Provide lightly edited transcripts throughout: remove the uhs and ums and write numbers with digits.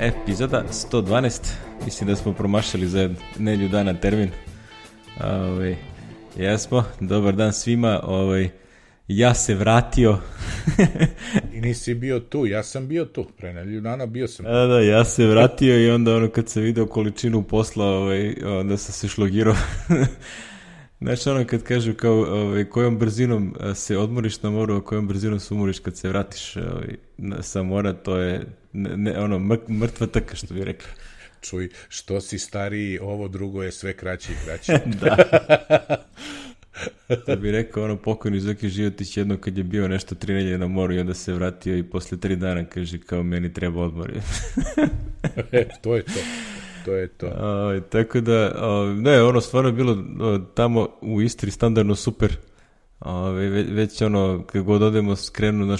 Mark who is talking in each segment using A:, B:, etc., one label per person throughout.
A: Epizoda 112, mislim da smo promašali za nedjelju dana termin. Jesmo, dobar dan svima, ja se vratio.
B: I nisi bio tu, ja sam bio tu, pre nedjelju dana bio sam.
A: Da, ja se vratio i onda kad sam video količinu posla, onda sam se šlogirao. Znači kad kažu kao kojom brzinom se odmoriš na moru, a kojom brzinom se umoriš kad se vratiš sa mora, to je mrtva trka, što bi rekli.
B: Čuj, što si stariji, ovo drugo je sve kraće i kraće.
A: Da. To bi rekao pokojni Zoki Životić jedno kad je bio nešto 3 nedjelje na moru i onda se vratio i posle 3 dana kaže kao meni treba odmor.
B: To je to. To je to.
A: Tako da, ne, stvarno je bilo tamo u Istri standardno super. Već kad god odemo skrenu,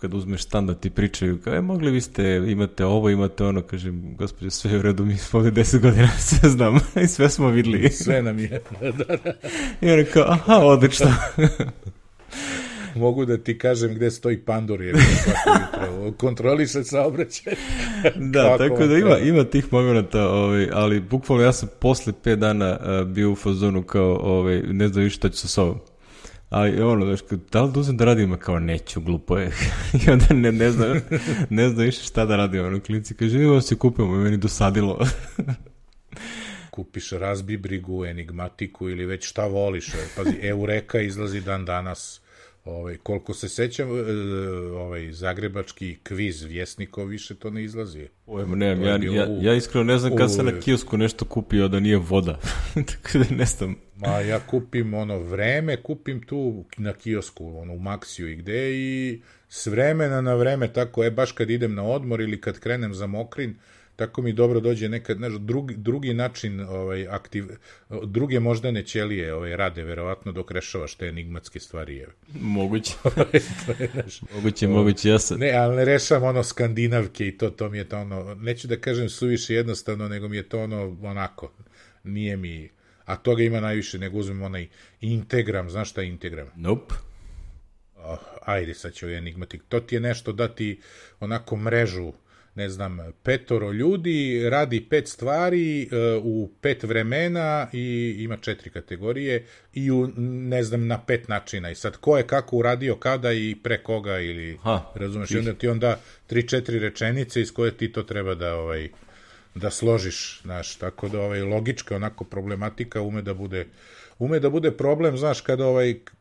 A: kad uzmeš stan da ti pričaju, kao, mogli vi ste, imate ovo, imate ono, kažem, gospođo, sve je u redu, mi smo ovdje 10 godina, sve znamo i sve smo vidjeli.
B: Sve nam je.
A: I ono kao, aha, odlično.
B: Mogu da ti kažem gde stoji pandur, jer kontroli se saobraćaj.
A: Da, tako da ima tih momenta, ali bukvalno ja sam posle 5 dana bio u fazonu kao, ne znam više šta ću sa sobom. Ali da li da uzem da radim, kao neću, glupo je. I onda ne znam više šta da radim. Klinci kaže, evo se kupimo, meni dosadilo.
B: Kupiš Razbibrigu, Enigmatiku ili već šta voliš. Pazi, Eureka izlazi dan danas. Koliko se sećam, zagrebački kviz Vjesnikov više to ne izlazi.
A: Ja iskreno ne znam kad sam na kiosku nešto kupio da nije voda. Tako da ne znam.
B: Ma ja kupim vreme, kupim tu na kiosku, u Maxiju i gde i s vremena na vreme, tako baš kad idem na odmor ili kad krenem za Mokrin, tako mi dobro dođe nekad, drugi način, druge moždane ćelije rade, verovatno dok rešavaš te enigmatske stvari.
A: Moguće. Moguće, ja sam.
B: Ne, ali ne rešavam skandinavke i to mi je to neću da kažem suviše jednostavno, nego mi je to onako, nije mi, a toga ima najviše, nego uzmem onaj Integram, znaš šta je Integram?
A: Nope.
B: Ajde, sad će enigmatik. To ti je nešto da ti onako mrežu, ne znam, 5 ljudi, radi 5 stvari u 5 vremena i ima 4 kategorije i ne znam, na 5 načina. I sad ko je kako uradio, kada i pre koga ili, razumeš, i onda ti onda 3-4 rečenice iz koje ti to treba da složiš, znaš, tako da logička onako problematika ume da bude problem, znaš,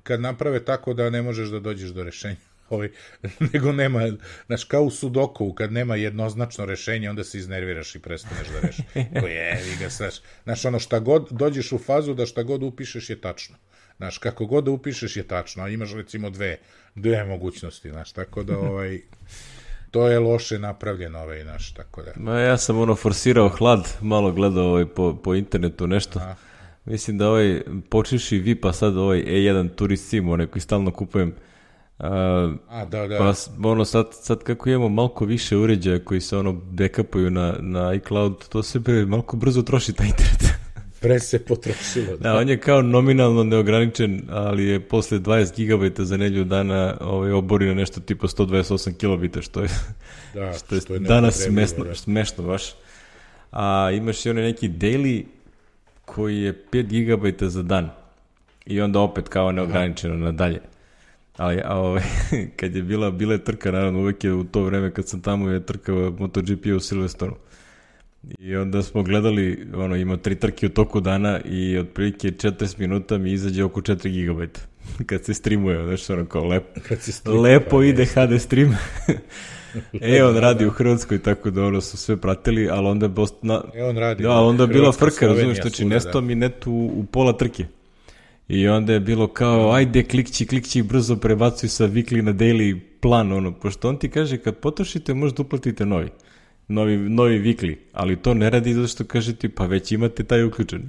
B: kad naprave tako da ne možeš da dođeš do rešenja. Nego nema, znaš, kao u Sudoku, kad nema jednoznačno rešenje, onda se iznerviraš i prestaneš da reši. Znaš, šta god, dođeš u fazu da šta god upišeš je tačno. Znaš, kako god da upišeš je tačno, a imaš recimo dve mogućnosti, znaš, tako da to je loše napravljeno, znaš, tako da.
A: Ja sam forsirao hlad, malo gledao po internetu nešto. Mislim da počeši VIP-a sad E1 Turist Sim, koji stalno kupujem.
B: Da.
A: Pa sad kako imamo malko više uređaja koji se backupuju na iCloud, to se malko brzo troši taj internet.
B: Pre se potrošilo.
A: Da, on je kao nominalno neograničen, ali je posle 20 GB za nedjelju dana obori na nešto tipa 128 kilobita, što je danas smešno baš. A imaš i neki daily koji je 5 GB za dan i onda opet kao neograničeno nadalje. Ali kad je bila trka, naravno uvijek je u to vreme kad sam tamo je trka MotoGP u Silverstonu. I onda smo gledali, ima 3 trke u toku dana i otprilike 40 minuta mi izađe oko 4 GB. Kad se streamuje, znači kao lepo ide HD stream. On radi u Hrvatskoj, tako da su sve pratili, ali onda je bila frka, razumiješ, znači nestao mi net u pola trke. I onda je bilo kao, ajde, klikći, brzo prebacuj sa weekly na daily plan, pošto on ti kaže, kad potrošite, možda uplatite novi weekly, ali to ne radi zato što kaže ti, pa već imate taj uključen.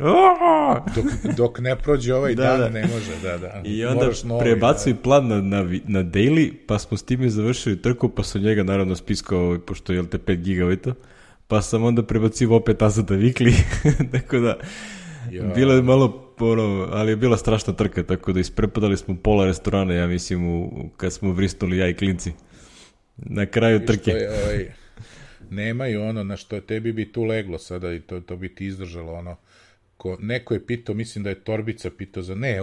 B: Dok ne prođe dan, ne može, da.
A: I onda prebacuj plan na daily, pa smo s time završili trku, pa sam njega naravno spiskao, pošto je te 5 GB, pa sam onda prebacio opet nazad na weekly, tako da, bilo je malo, ali je bila strašna trka, tako da isprepadali smo pola restorana, ja mislim, kad smo vrisnuli ja i klinci. Na kraju trke.
B: nemaju ono na što tebi bi tu leglo sada i to bi ti izdržalo ono. Neko je pitao, mislim da je Torbica pitao za, ne,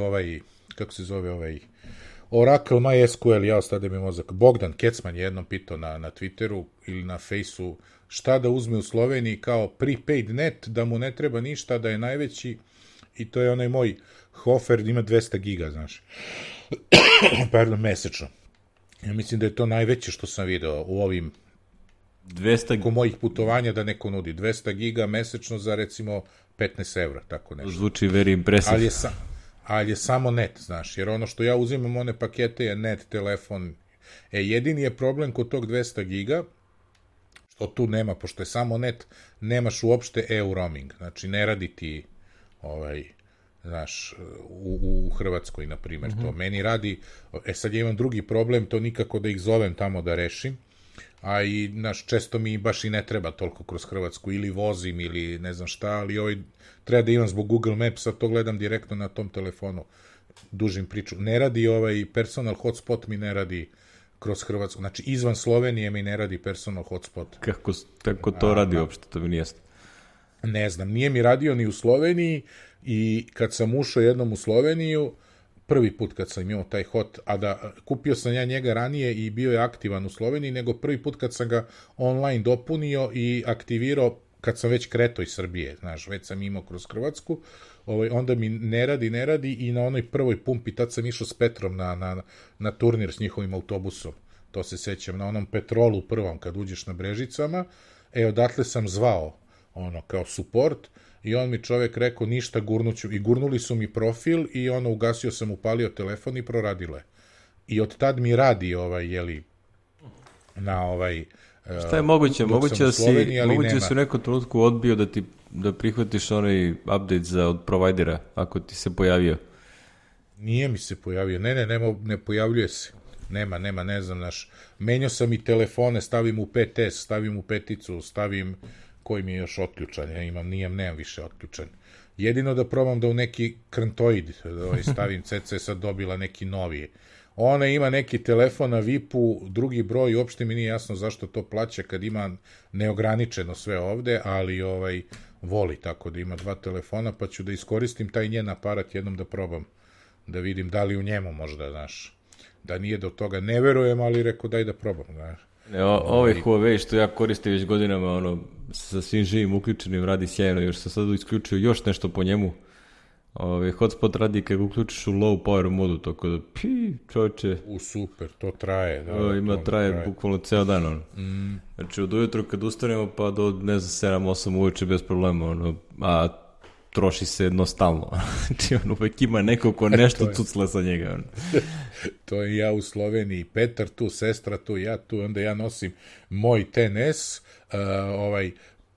B: kako se zove Oracle MySQL, ja ostade mi mozak. Bogdan Kecman je jednom pitao na Twitteru ili na Faceu šta da uzme u Sloveniji kao prepaid net, da mu ne treba ništa, da je najveći, i to je onaj moj Hofer, ima 200 giga, znaš. Pardon, mesečno. Ja mislim da je to najveće što sam video u ovim 200 mojih putovanja da neko nudi. 200 giga mesečno za recimo 15 evra, tako nešto.
A: Zvuči very impressive.
B: Ali je samo net, znaš, jer ono što ja uzimam one pakete je net, telefon. Jedini je problem kod tog 200 giga, što tu nema, pošto je samo net, nemaš uopšte EU roaming, znači ne radi ti znaš, u Hrvatskoj, na primjer, to meni radi, sad ja imam drugi problem, to nikako da ih zovem tamo da rešim, a i, znaš, često mi baš i ne treba toliko kroz Hrvatsku, ili vozim, ili ne znam šta, ali treba da imam zbog Google Maps, a to gledam direktno na tom telefonu, dužim priču. Ne radi personal hotspot mi ne radi kroz Hrvatsku, znači izvan Slovenije mi ne radi personal hotspot.
A: Kako to radi uopšte, to mi nije jasno.
B: Ne znam, nije mi radio ni u Sloveniji, i kad sam ušao jednom u Sloveniju, prvi put kad sam imao taj hot, a da kupio sam ja njega ranije i bio je aktivan u Sloveniji, nego prvi put kad sam ga online dopunio i aktivirao kad sam već kretao iz Srbije, znaš, već sam imao kroz Hrvatsku, onda mi ne radi i na onoj prvoj pumpi, tad sam išao s Petrom na turnir s njihovim autobusom, to se sećam, na onom Petrolu prvom kad uđeš na Brežicama, odatle sam zvao, kao support, i on mi čovek rekao ništa, gurnuću, i gurnuli su mi profil i ugasio sam, upalio telefon i proradilo je. I od tad mi radi na
A: šta je moguće? Moguće da si u nekom trenutku odbio da prihvatiš onaj update od provajdera, ako ti se pojavio.
B: Nije mi se pojavio, ne pojavljuje se. Nema, ne znam, menjao sam i telefone, stavim u 5S, stavim u peticu, stavim koji mi je još otključan, nemam više otključan. Jedino da probam da u neki krntoid stavim CC, sad dobila neki novi. Ona ima neki telefon na VIP-u, drugi broj, uopšte mi nije jasno zašto to plaća kad ima neograničeno sve ovde, ali voli tako da ima 2 telefona, pa ću da iskoristim taj njen aparat jednom da probam, da vidim da li u njemu možda, znaš, da nije do toga, ne verujem, ali rekao daj da probam, znaš.
A: Ovaj Huawei što ja koristim već godinama, sa svim živim uključenim radi sjajno, još sam sad isključio još nešto po njemu. Hotspot radi kad uključiš u low power modu, tako da čovječe.
B: Super, to traje.
A: Traje bukvalno ceo dan. Znači od ujutro kad ustanemo pa do 7-8 uveče bez problema, a troši se jednostavno. Znači uvek ima neko ko nešto cucla sa njega.
B: To je ja u Sloveniji, Petar tu, sestra tu, ja tu, onda ja nosim moj 10S,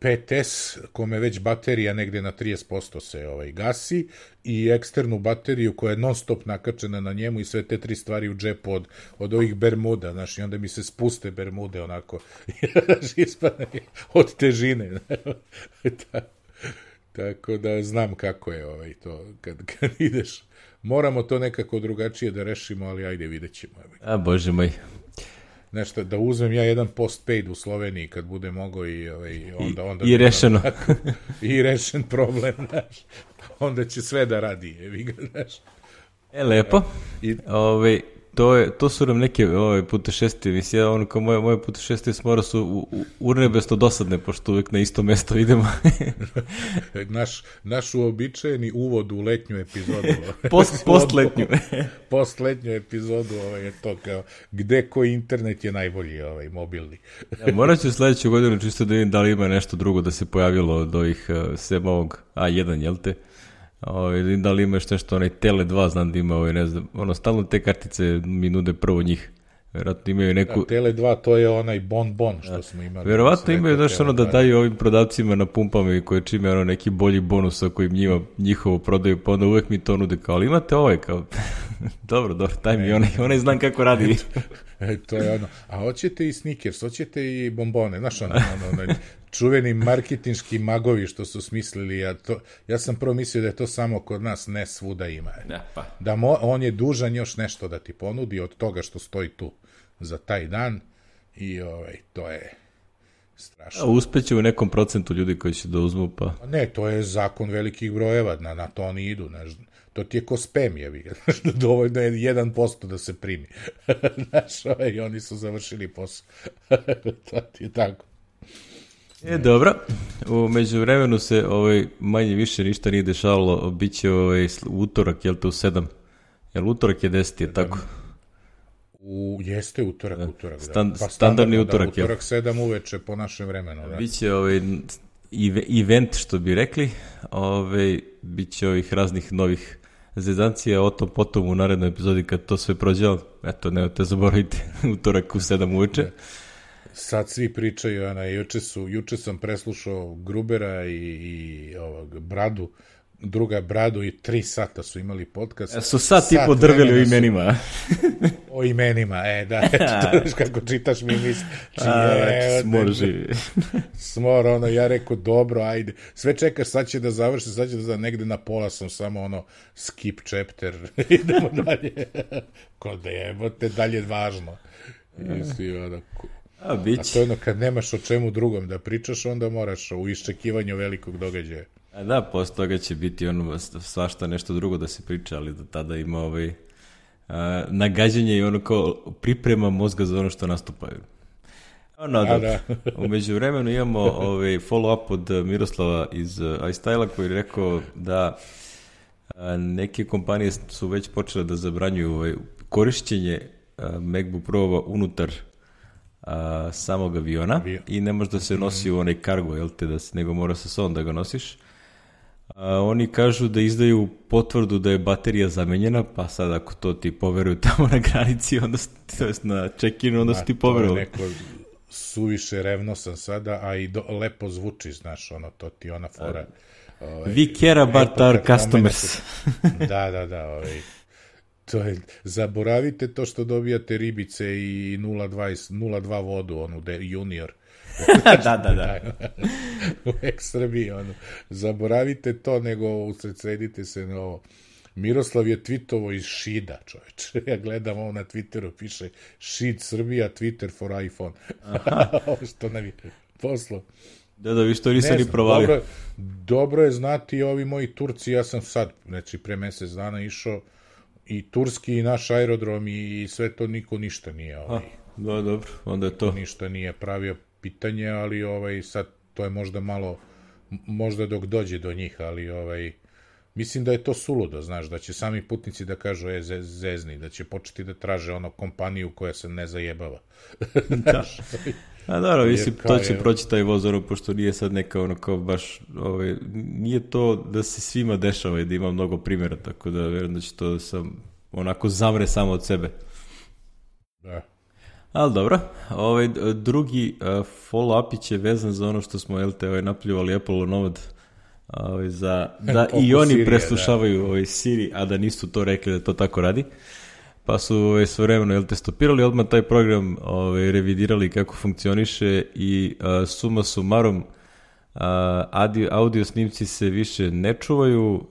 B: 5S, kome već baterija negde na 30% se gasi, i eksternu bateriju koja je non stop nakačena na njemu i sve te 3 stvari u džepu od ovih bermuda, znaš, i onda mi se spuste bermude onako, ispadne od težine. Tako da znam kako je to, kad ideš. Moramo to nekako drugačije da rešimo, ali ajde, vidjet ćemo.
A: A, Bože moj.
B: Nešto, da uzmem ja jedan postpaid u Sloveniji kad bude mogo i onda...
A: I rešeno.
B: I rešen problem, znaš. Onda će sve da radi, znaš.
A: Lepo. To su nam neke putešestvije, mislim, kao moje putešestvije s mora su urnebesto dosadne, pošto uvijek na isto mesto idemo.
B: Naš uobičajeni uvod u letnju epizodu.
A: Postletnju.
B: Postletnju epizodu je to kao gde koji internet je najbolji, mobilni.
A: Morat ću sledeću godinu čisto da vidim da li ima nešto drugo da se pojavilo od ovih sem ovog A1, jel te? Da li imaš nešto, Tele 2 znam da ima, ne znam, stalno te kartice mi nude prvo njih. Verovatno imaju neku...
B: Tele 2, to je onaj bon što smo imali.
A: Verovatno imaju, znaš, da daju ovim prodavcima na pumpama i koje čime neki bolji bonus ako im njihovo prodaju, pa onda uvek mi to nude kao, ali imate kao... dobro, daj mi, onaj znam kako radi.
B: To je a hoćete i Snickers, hoćete i bombone, znaš, čuveni marketinški magovi što su smislili, ja sam prvo mislio da je to samo kod nas, ne svuda ima. Da on je dužan još nešto da ti ponudi od toga što stoji tu za taj dan, i to je Strašno.
A: A uspeće u nekom procentu ljudi koji će da uzmu, pa...
B: Ne, to je zakon velikih brojeva, na to oni idu, znaš. To ti je ko spam, jevi. Dovoljno je 1% da se primi. Znaš, i oni su završili posao. To ti je tako.
A: Dobro, u međuvremenu se manje više ništa nije dešavalo, bit će utorak, jel te u 7? Jel utorak je 10, je tako?
B: Jeste utorak,
A: standardni utorak,
B: utorak 7 uveče po našem vremenu. Da.
A: Biće event, što bi rekli, biće ovih raznih novih zezancija, o tom potom u narednoj epizodi kad to sve prođe, eto, nemojte zaboravite, utorak u 7 uveče.
B: Sad svi pričaju, juče sam preslušao Grubera i Bradu, druga Bradu i 3 sata su imali podcast.
A: Su sat i po drveli o imenima.
B: O imenima, da, kako čitaš mi misli.
A: Smor živi.
B: Smor, ja rekao, dobro, ajde. Sve čekaš, sad će da završi, negde na pola sam samo skip chapter, idemo dalje. Ko da jebote, dalje važno. A to je kad nemaš o čemu drugom da pričaš, onda moraš u iščekivanju velikog događaja.
A: Da, posle toga će biti svašta nešto drugo da se priča, ali da tada ima nagađanje i kao priprema mozga za ono što nastupaju. U međuvremenu imamo follow-up od Miroslava iz iStyle-a koji je rekao da neke kompanije su već počele da zabranjuju korišćenje MacBook Pro-ova unutar samog aviona i ne može da se nosi u onaj cargo, jel te, nego mora sa sobom da ga nosiš. Oni kažu da izdaju potvrdu da je baterija zamenjena, pa sad ako to ti poveruju tamo na granici, onda na check-inu, onda su ti poverovali.
B: To je neko suviše revnosan sada, a i lepo zvuči, znaš, to ti ona fora.
A: We care about our customers.
B: Da. To je, zaboravite to što dobijate ribice i 0,2 vodu, junior.
A: Da.
B: U ekstra bi, zaboravite to, nego usredsedite se na ovo. Miroslav je tweetovo iz Šida, čoveče. Ja gledam ovo na Twitteru, piše Šid Srbija, Twitter for iPhone. Ovo što nam je poslo.
A: Da, vi što nisam ni provalio.
B: Dobro je znati ovi moji Turci, ja sam sad, znači pre mesec dana išao i turski i naš aerodrom i sve to, niko ništa nije.
A: Da, dobro, onda je to.
B: Ništa nije pravio pitanje, ali sad to je možda malo, možda dok dođe do njih, ali mislim da je to suludo, znaš, da će sami putnici da kažu zezni, da će početi da traže kompaniju koja se ne zajebava.
A: Da. A dobro, mislim, to će proći taj voz, pošto nije sad neka kao baš, nije to da se svima dešava i da ima mnogo primjera, tako da vjerujem da će to onako zamre samo od sebe.
B: Da.
A: Ali dobro, drugi follow-up je vezan za ono što smo napljuvali Apple Nomad, da i oni preslušavaju Siri, a da nisu to rekli da to tako radi. Pa su svojevremeno stopirali, odmah taj program revidirali kako funkcioniše i suma sumarum audio snimci se više ne čuvaju,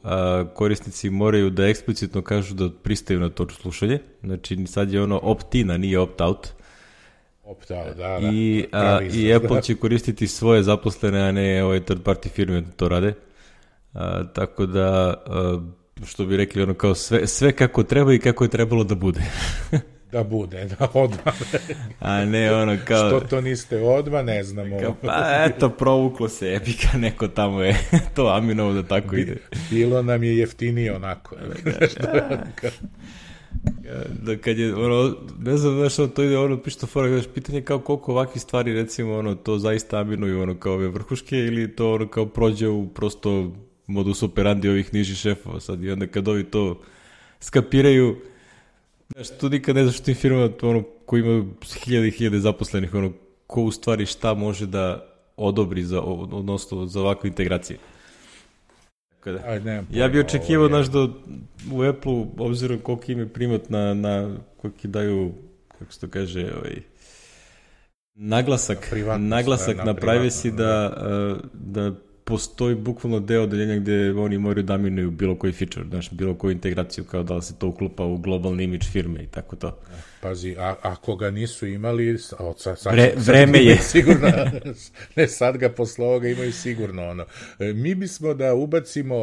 A: korisnici moraju da eksplicitno kažu da pristaju na to slušanje, znači sad je opt-in, a nije opt-out.
B: Opt-out, da.
A: I Apple će koristiti svoje zaposlene, a ne third party firme da to rade, tako da što bi rekli, kao sve kako treba i kako je trebalo da bude.
B: Da bude, da odmah.
A: A ne kao...
B: Što to niste odmah, ne znamo.
A: Pa eto, provuklo se epika, neko tamo je to aminovo da tako ide.
B: Bilo nam je jeftinije onako.
A: Da kad je, ne znam, znaš, to ide, pišto fora, pitanje kao koliko ovakvih stvari, recimo, to zaista aminuju, kao ove vrhuške, ili to, kao prođe u prosto modus operandi ovih nižih šefova sad, i onda kad ovi to skapiraju, znaš, tu nikad ne znaš u tim firmama koji imaju hiljade zaposlenih, ko u stvari šta može da odobri odnosno za ovakve integracije. Ja bih očekivao, znaš, da u Apple, obzirom koliko im je primat na koliko daju, kako se to kaže, naglasak na privacy, da postoji bukvalno deo odeljenja gde oni moraju da minuju bilo koji feature, znaš, bilo koju integraciju, kao da li se to uklupa u globalni imidž firme i tako to.
B: Pazi, ako ga nisu imali,
A: vreme je.
B: Sigurno, ne sad ga posle ovoga imaju sigurno ono. Mi bismo da ubacimo,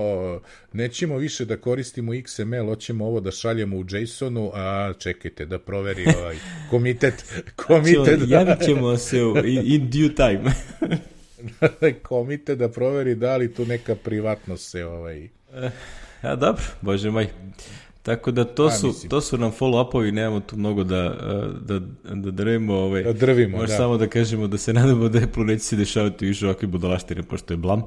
B: nećemo više da koristimo XML, hoćemo ovo da šaljemo u JSON-u, a čekajte da proveri komitet.
A: Javit ćemo se in due time.
B: Komitet da proveri da li tu neka privatnost se
A: Ja, dobro, bože moj. Tako da to su nam follow-upovi, nemamo tu mnogo da drvimo.
B: Da drvimo,
A: Možda samo da kažemo da se nadamo da Apple neće se dešavati više ovakve budalaštine, pošto je blam.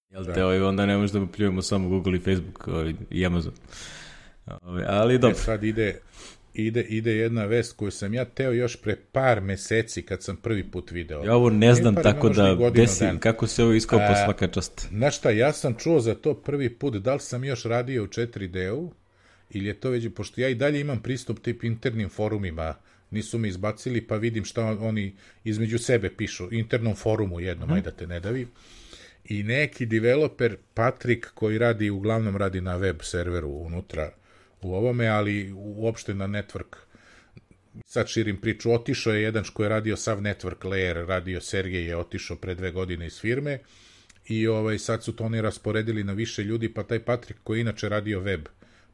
A: Jel te, onda ne možemo da pljujemo samo Google i Facebook i Amazon. Ali dobro.
B: Sad ide jedna vest koju sam ja teo još pre par meseci kad sam prvi put video.
A: Ja ovo ne znam, tako da desim, kako se ovo iskopao svaka čast.
B: Znaš šta, ja sam čuo za to prvi put, da li sam još radio u 4D-u, ili je to već, pošto ja i dalje imam pristup tip internim forumima, nisu me izbacili, pa vidim šta oni između sebe pišu, internom forumu jednom, ajde da te ne davi. I neki developer, Patrik, koji uglavnom radi na web serveru unutra, u ovome, ali uopšte na network. Sad širim priču, otišao je jedan koji je radio sav network layer, radio Sergej je otišao pre 2 godine iz firme i sad su to oni rasporedili na više ljudi, pa taj Patrik koji je inače radio web,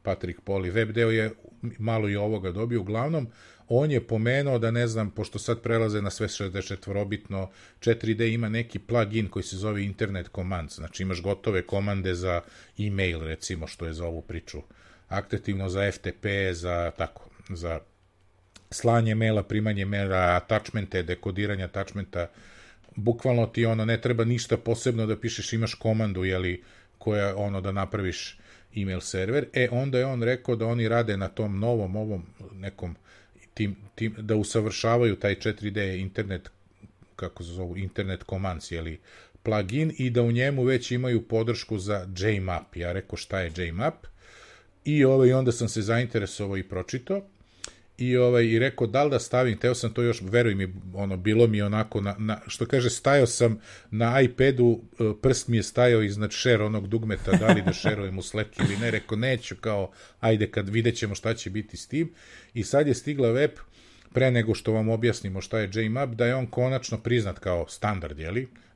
B: Patrik Poli, web deo je malo i ovoga dobio, uglavnom on je pomenuo da ne znam, pošto sad prelaze na sve 64-bitno, 4D ima neki plugin koji se zove Internet Commands, znači imaš gotove komande za e-mail recimo, što je za ovu priču aktivno, za FTP, za slanje maila, primanje maila, attachmente, dekodiranje attachmenta, bukvalno ti ne treba ništa posebno da pišeš, imaš komandu, koja da napraviš email server, onda je on rekao da oni rade na tom novom, ovom nekom, da usavršavaju taj 4D internet, kako se zovu, internet commands, plugin, i da u njemu već imaju podršku za JMap. Ja rekao šta je JMap, i onda sam se zainteresovao i pročitao i rekao da li da stavim, teo sam to još, veruj mi, bilo mi onako, što kaže, stajao sam na iPadu, prst mi je stajao iznad share onog dugmeta, da li da šerujem u Slack ili ne, rekao neću, kao, ajde kad vidjet ćemo šta će biti s tim, i sad je stigla web, pre nego što vam objasnimo šta je JMap, da je on konačno priznat kao standard,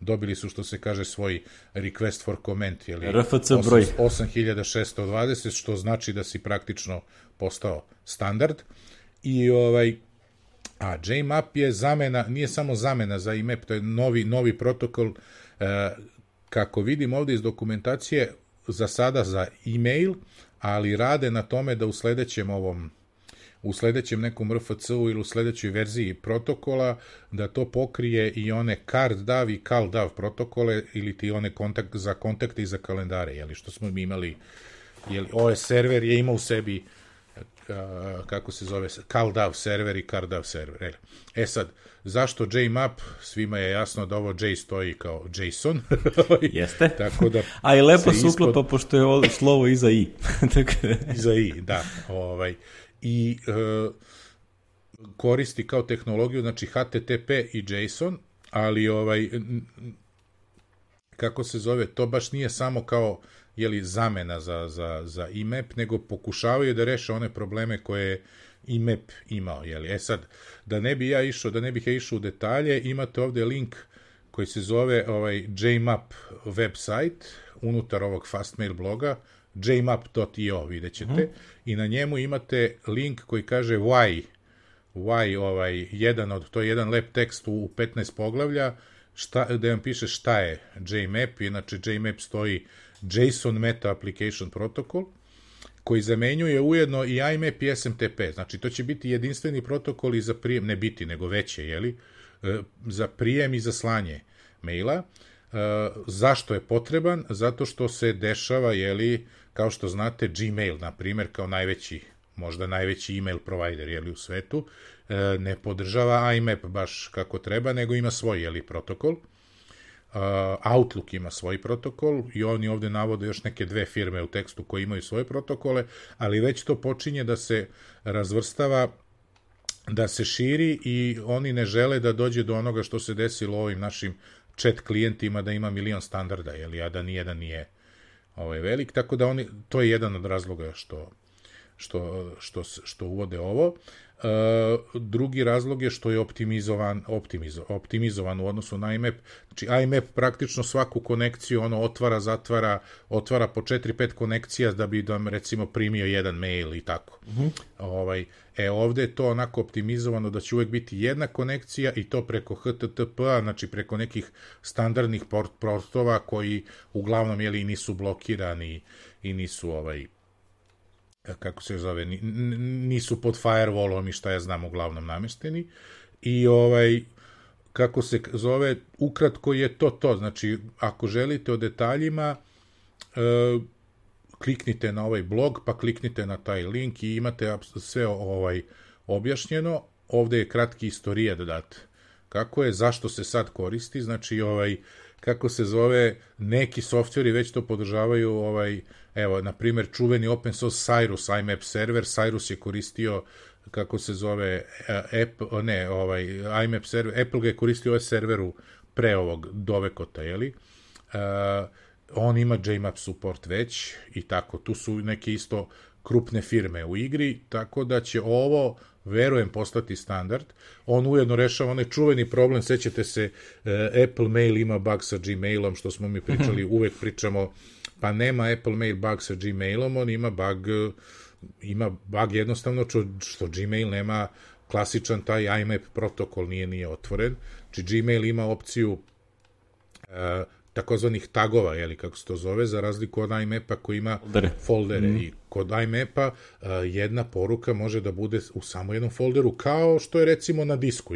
B: dobili su, što se kaže, svoj request for comment,
A: RFC broj
B: 8620, što znači da si praktično postao standard. I a JMap je zamena, nije samo zamena za IMAP, to je novi protokol, kako vidim ovde iz dokumentacije, za sada za e-mail, ali rade na tome da u sledećem nekom RFC-u ili u sledećoj verziji protokola, da to pokrije i one CardDAV i CalDAV protokole, ili ti one za kontakte i za kalendare, što smo mi imali, OS server je imao u sebi, kako se zove, CalDAV server i CardDAV server. Sad, zašto JMap? Svima je jasno da ovo J stoji kao JSON.
A: Jeste.
B: Tako da
A: a i lepo se uklopa, pošto je slovo iza I.
B: Iza I, da. I koristi kao tehnologiju, znači HTTP i JSON, ali kako se zove, to baš nije samo kao zamena za IMAP, nego pokušavaju da reše one probleme koje IMAP imao. Sad, da ne bih ja išao u detalje, imate ovde link koji se zove JMap website, unutar ovog Fastmail bloga, jmap.io, vidjet ćete, i na njemu imate link koji kaže why, to je jedan lep tekst u 15 poglavlja, da vam piše šta je JMap, inače JMap stoji JSON Meta Application Protocol, koji zamenjuje ujedno i IMAP i SMTP, znači to će biti jedinstveni protokol i za prijem, ne biti, nego veće, za prijem i za slanje maila. Zašto je potreban? Zato što se dešava, kao što znate, Gmail, na primjer, kao možda najveći email provider, u svetu, ne podržava IMAP baš kako treba, nego ima svoj, protokol. Outlook ima svoj protokol i oni ovde navode još neke 2 firme u tekstu koje imaju svoje protokole, ali već to počinje da se razvrstava, da se širi, i oni ne žele da dođe do onoga što se desilo ovim našim chat klijentima da ima milion standarda, a da nijedan nije velik, tako da to je jedan od razloga što uvode ovo. Drugi razlog je što je optimizovan u odnosu na IMAP. Znači IMAP praktično svaku konekciju otvara, zatvara, otvara po 4-5 konekcija da bi vam recimo primio jedan mail i tako. Ovde je to onako optimizovano da će uvek biti jedna konekcija i to preko HTTP-a, znači preko nekih standardnih portova koji uglavnom nisu blokirani i nisu kako se zove, nisu pod firewallom i šta ja znam uglavnom namešteni. I kako se zove, ukratko je to. Znači, ako želite o detaljima, kliknite na ovaj blog, pa kliknite na taj link i imate sve objašnjeno. Ovde je kratki istorijat dat. Kako je, zašto se sad koristi, znači kako se zove, neki softveri već to podržavaju, evo, na primjer, čuveni open source Cyrus IMAP server, Cyrus je koristio, kako se zove, IMAP server, Apple ga je koristio serveru pre ovog Dovekota, on ima JMAP support već i tako, tu su neke isto krupne firme u igri, tako da će ovo, verujem, postati standard. On ujedno rešava onaj čuveni problem, sećate se, Apple Mail ima bug sa Gmailom, što smo mi pričali, uvek pričamo, pa nema Apple Mail bug sa Gmailom, on ima bug jednostavno što Gmail nema klasičan taj IMAP protokol, nije otvoren. Znači Gmail ima opciju takozvanih tagova, kako se to zove, za razliku od IMAP-a koji ima foldere. I kod IMAP-a jedna poruka može da bude u samo jednom folderu, kao što je recimo na disku,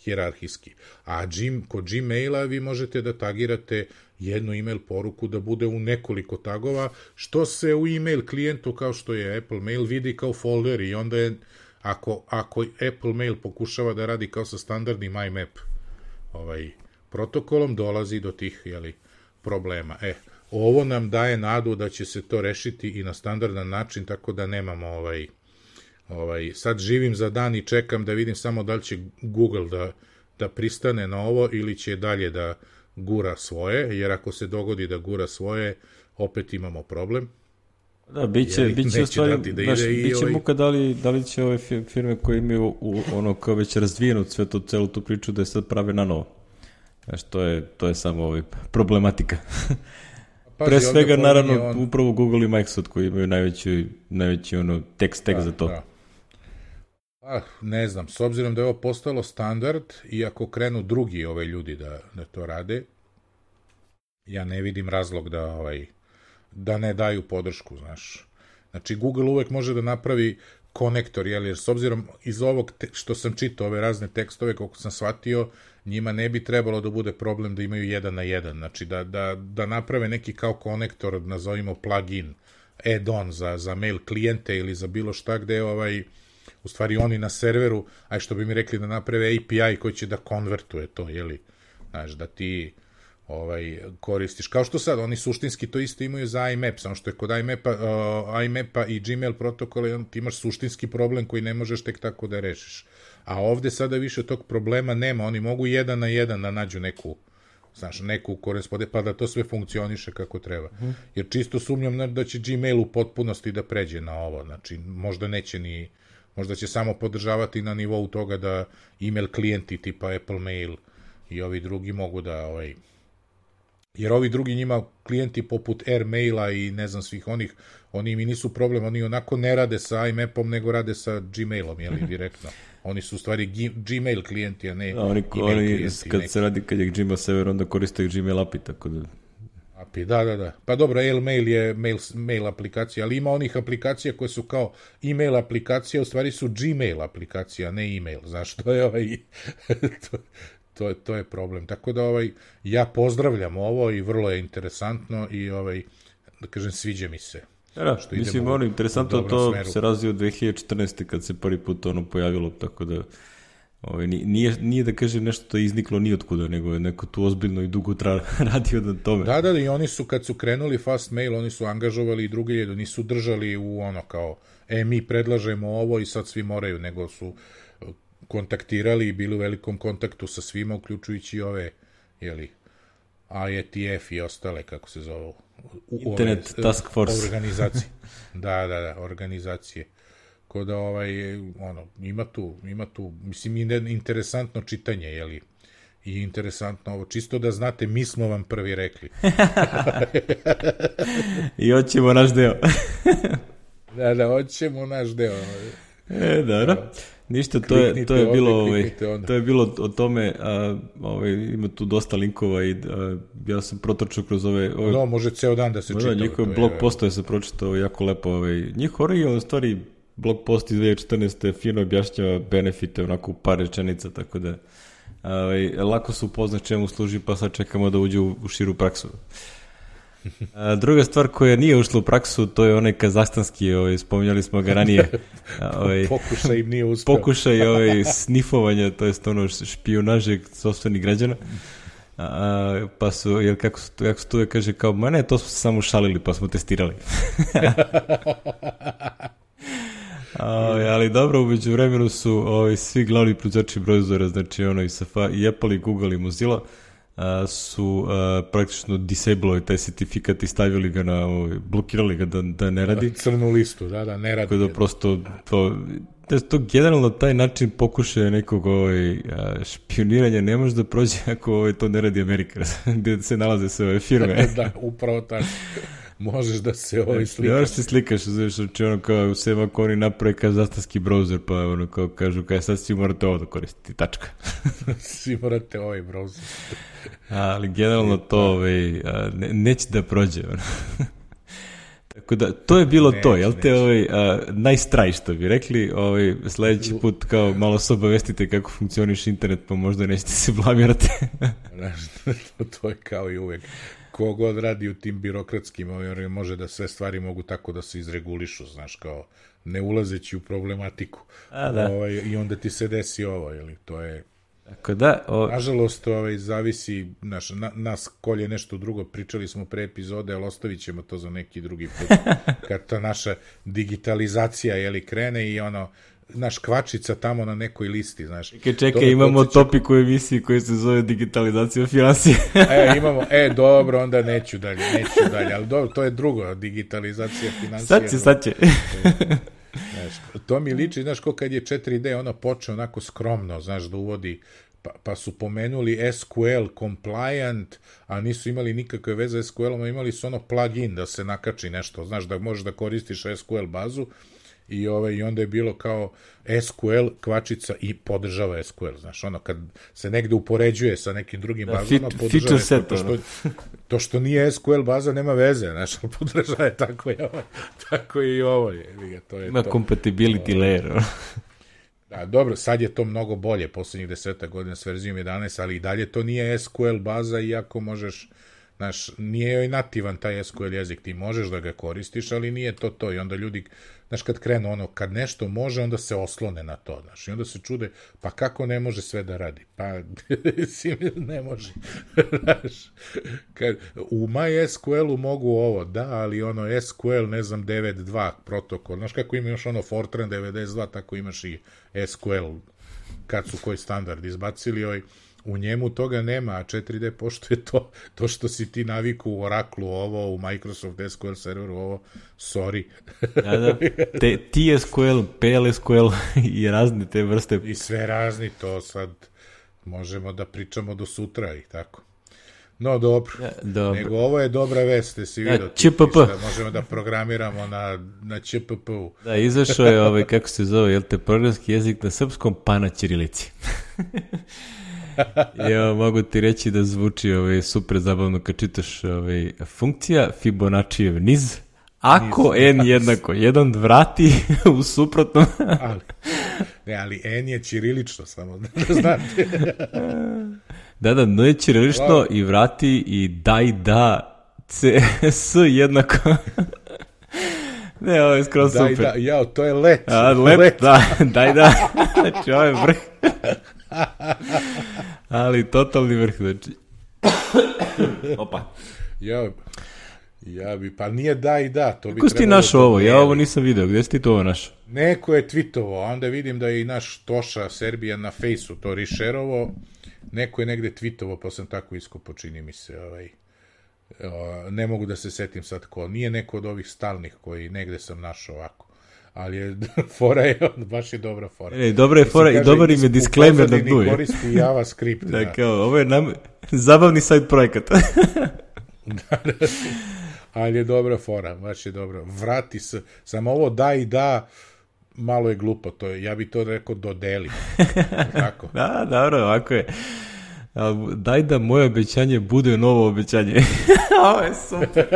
B: hijerarhijski. A kod Gmaila vi možete da tagirate jednu email poruku da bude u nekoliko tagova, što se u email klijentu, kao što je Apple Mail, vidi kao folder i onda je, ako Apple Mail pokušava da radi kao sa standardnim IMAP protokolom, dolazi do tih problema. Ovo nam daje nadu da će se to rešiti i na standardan način, tako da nemamo sad živim za dan i čekam da vidim samo da li će Google da pristane na ovo ili će dalje da gura svoje, jer ako se dogodi da gura svoje, opet imamo problem.
A: Da, biće muka da li će ove firme koje imaju kao već razvijenu celu tu priču da je sad prave na novo. To je samo problematika. Pre svega, naravno, upravo Google i Microsoft koji imaju najveći tekst za to. Da.
B: Ne znam, s obzirom da je ovo postalo standard i ako krenu drugi ljudi da to rade, ja ne vidim razlog da ne daju podršku, znaš. Znači, Google uvek može da napravi konektor, jer s obzirom iz ovog što sam čitao, ove razne tekstove, koliko sam shvatio, njima ne bi trebalo da bude problem da imaju 1 na 1, znači da naprave neki kao konektor, nazovimo plugin, add-on za mail klijente ili za bilo šta gde u stvari oni na serveru, aj što bi mi rekli da naprave API koji će da konvertuje to, znaš, da ti koristiš, kao što sad, oni suštinski to isto imaju za IMAP, samo što je kod IMAP-a i Gmail protokola ti imaš suštinski problem koji ne možeš tek tako da rešiš. A ovde sada više tog problema nema, oni mogu 1 na 1 da nađu neku korespondenciju, pa da to sve funkcioniše kako treba. Jer čisto sumnjam da će Gmail u potpunosti da pređe na ovo, znači možda će samo podržavati na nivou toga da email klijenti tipa Apple Mail i ovi drugi mogu da jer ovi drugi njima klijenti poput Airmaila i ne znam svih oni mi nisu problem, oni onako ne rade sa IMAP-om, nego rade sa Gmailom, direktno. Oni su u stvari Gmail klijenti, a ne email klijenti.
A: Kad je Gmail server, onda koriste Gmail API, tako da...
B: API, da. Pa dobro, Airmail je mail aplikacija, ali ima onih aplikacija koje su kao email aplikacija, u stvari su Gmail aplikacija, ne email, znaš, to je to je problem. Tako da ja pozdravljam ovo i vrlo je interesantno i da kažem, sviđa mi se.
A: Da, mislim, interesantno to se razvio 2014. kad se prvi put pojavilo, tako da nije da kažem nešto to je izniklo nijotkuda, nego je neko tu ozbiljno i dugo radio na tome.
B: Da, i oni su, kad su krenuli Fast Mail, oni su angažovali i druge, nisu držali u kao, mi predlažemo ovo i sad svi moraju, nego su kontaktirali i bili u velikom kontaktu sa svima, uključujući ove, IETF i ostale, kako se zove,
A: Internet Task Force
B: organizacije. Da, organizacije. Ko da ima tu, mislim, interesantno čitanje, jeli, i interesantno ovo, čisto da znate, mi smo vam prvi rekli.
A: I hoćemo naš deo.
B: Da, hoćemo naš deo.
A: Dobro. Ništa, to je bilo o tome, ima tu dosta linkova i ja sam protrčao kroz ove...
B: No, može ceo dan da se čita.
A: Njihove blog postoje se pročitao jako lepo. Njihov originalno stvari blog post iz 2014. fino objašnjava benefite onako u par rečenica, tako da lako se upozna čemu služi, pa sad čekamo da uđe u širu praksu. Druga stvar koja nije ušla u praksu, to je onaj kazahstanski, spominjali smo ga ranije.
B: Pokušaj im nije uspeo.
A: Pokušaj snifovanja, to je ono špijunaže sopstvenih građana. Pa su, jer kako se tu kaže, kao, ma ne, to smo se samo šalili, pa smo testirali. Ali dobro, umeđu vremenu su svi glavni proizvođači browsera, znači i Safari, i Apple, i Google, i Mozilla, su praktično disablovali taj certifikat i stavili ga blokirali ga da ne radi.
B: Crnu listu, da, ne radi.
A: Tako da prosto to generalno taj način pokušaja nekog špioniranja ne može da prođe ako to ne radi Amerika, gde se nalaze sve ove firme.
B: Da, upravo tako. Možeš da se slikaš.
A: Još se slikaš, znači kao sve ako oni naprave kazahstanski browser, pa kao kažu sad svi morate ovo da koristiti, tačka.
B: Svi morate ovaj browser.
A: Ali generalno to neće da prođe. Tako da, to je bilo to, jel te nice try, što bi rekli, sledeći put kao malo se obavestite kako funkcioniš internet, pa možda nećete se blamirati.
B: To je kao i uvek. Kogod radi u tim birokratskim, može da sve stvari mogu tako da se izregulišu, znaš, kao ne ulazeći u problematiku. I onda ti se desi ovo, jeli, to je...
A: Tako da...
B: Nažalost, zavisi, nas kolje nešto drugo, pričali smo pre epizode, ali ostavit ćemo to za neki drugi put, kad ta naša digitalizacija, jeli, krene i naš kvačica tamo na nekoj listi, znaš.
A: Čekaj, imamo topik u emisiji koji se zove digitalizacija finansije.
B: Imamo, dobro, onda neću dalje, ali dobro, to je drugo, digitalizacija finansije.
A: Sad će.
B: To mi liči, znaš, ko kad je 4D, počeo onako skromno, znaš, da uvodi, pa su pomenuli SQL compliant, a nisu imali nikakve veze s SQL-om, imali su plugin da se nakači nešto, znaš, da možeš da koristiš SQL bazu, i onda je bilo kao SQL kvačica i podržava SQL, znaš, kad se negde upoređuje sa nekim drugim bazama, podržava SQL, to što nije SQL baza nema veze, znaš, podržava je tako i ovo je.
A: Ima compatibility layer.
B: Da, dobro, sad je to mnogo bolje, poslednjih 10 godina s verzijom 11, ali i dalje to nije SQL baza, iako možeš, znaš, nije joj nativan taj SQL jezik, ti možeš da ga koristiš, ali nije to, i onda ljudi, znaš, kad krenu kad nešto može, onda se oslone na to, znaš, i onda se čude, pa kako ne može sve da radi? Pa, ne može, znaš, u MySQL-u mogu ovo, da, ali SQL, ne znam, 9.2 protokol, znaš kako imaš Fortran 92, tako imaš i SQL, kad su koji standard izbacili, u njemu toga nema, a 4D poštuje to što si ti naviku u Oracle-u ovo, u Microsoft SQL serveru ovo, sorry.
A: Da. TSQL, PLSQL i razne te vrste.
B: I sve razni, to sad možemo da pričamo do sutra i tako. No, dobro. Nego ovo je dobra vest, ste si vidio. Možemo da programiramo na ČPP-u.
A: Da, izašao je, kako se zove, jel te, programski jezik na srpskom, pa na ćirilici. Ja mogu ti reći da zvuči super zabavno kad čitaš funkcija Fibonaccijev niz. Ako n jednako 1 vrati u suprotnom.
B: ali n je ćirilično, samo da znate.
A: Da, n je ćirilično i vrati i daj da s jednako. Ne, ovo je skroz super.
B: To je let.
A: Let, da, daj da. Znači, ovo je vrh. Ali totalni vrh, znači. Opa.
B: Pa nije da i da. To
A: kako si ti našao ovo? Ja ovo nisam video. Gde si ti to ovo našao?
B: Neko je tweetovao, onda vidim da je i naš Toša Serbija na fejsu to rešerovo. Neko je negde tweetovao, pa sam tako iskopao, čini mi se. Ne mogu da se setim sad ko. Nije neko od ovih stalnih koji negde sam našao ovako. Ali je fora je, baš je dobra fora.
A: Dobra je fora i dobar im je disclaimer da duje.
B: Koristi JavaScript.
A: Da, kao, ovo je zabavni sajt projekata.
B: Ali je dobra fora, baš je dobro. Vrati se, samo ovo da i da, malo je glupo, ja bi to rekao dodeli. Tako.
A: Da, dobro, ovako je. Daj da moje obećanje bude novo obećanje. Ovo je super.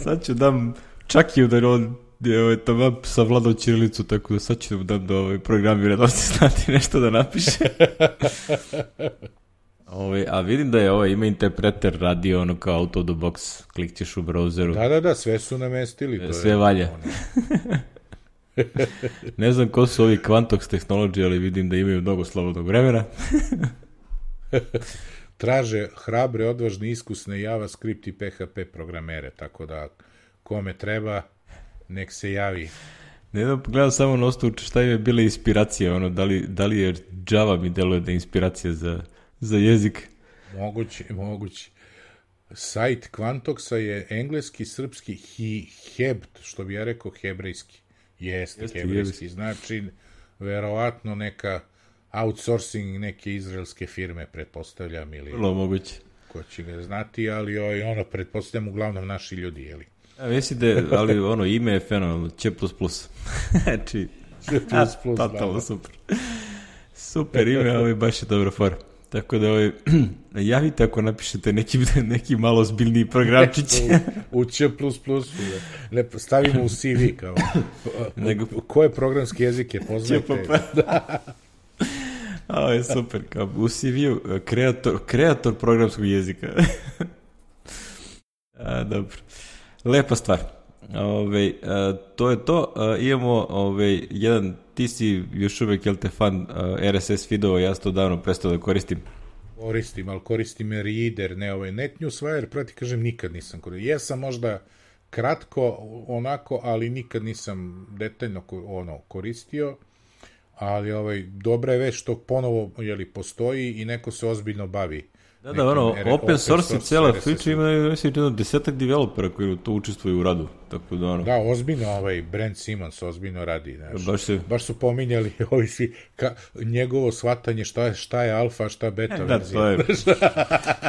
A: Sad ću dam Čakiju da on tamo savladao ćirilicu, tako da sad ću dam da programira da se znati nešto da napiše. A vidim da je ima interpreter radio ono kao out of the box, klikćeš u browseru.
B: Da, sve su namestili.
A: Sve valja. Ne znam ko su ovi Quantox Technology, ali vidim da imaju mnogo slobodnog vremena.
B: Traže hrabre, odvažne, iskusne JavaScript i PHP programere, tako da kome treba, nek se javi.
A: Ne znam, pogledam samo na osnovu šta im je bila inspiracija, da li je Java mi deluje da je inspiracija za jezik.
B: Moguće. Sajt Quantoxa je engleski, srpski, hebt, što bi ja rekao hebrejski. Jeste hebrejski, znači verovatno neka outsourcing neke izraelske firme, pretpostavljam, ili
A: vrlo moguće.
B: Ko će ga znati, ali pretpostavljam uglavnom naši ljudi, jeli?
A: Mislim da, ali ime je fenomenalno, C++. Znači, totalno super. Super ime, baš je dobra fora. Tako da javite ako napišete neki malo zbiljniji programčić.
B: U C++, stavimo u CV kao. Koje programski jezik je poznate?
A: Ovo je super, kao u CV-u kreator programskog jezika. Dobro. Lepa stvar. To je to. Imamo jedan, ti si još uvek, jel te fan RSS feedova, ja sam to davno prestao da koristim.
B: Ali koristim Reader, ne NetNewsWire, proti kažem, nikad nisam koristio. Jesam možda kratko onako, ali nikad nisam detaljno koristio, ali dobra je već što ponovo postoji i neko se ozbiljno bavi.
A: Da, open source je cijela priča, ima 10 developera koji to učestvuju u radu. Tako da,
B: Da, ozbiljno Brent Simons ozbiljno radi. Baš su pominjali ovi svi njegovo shvatanje šta je alfa, šta beta verzija.
A: Da, to je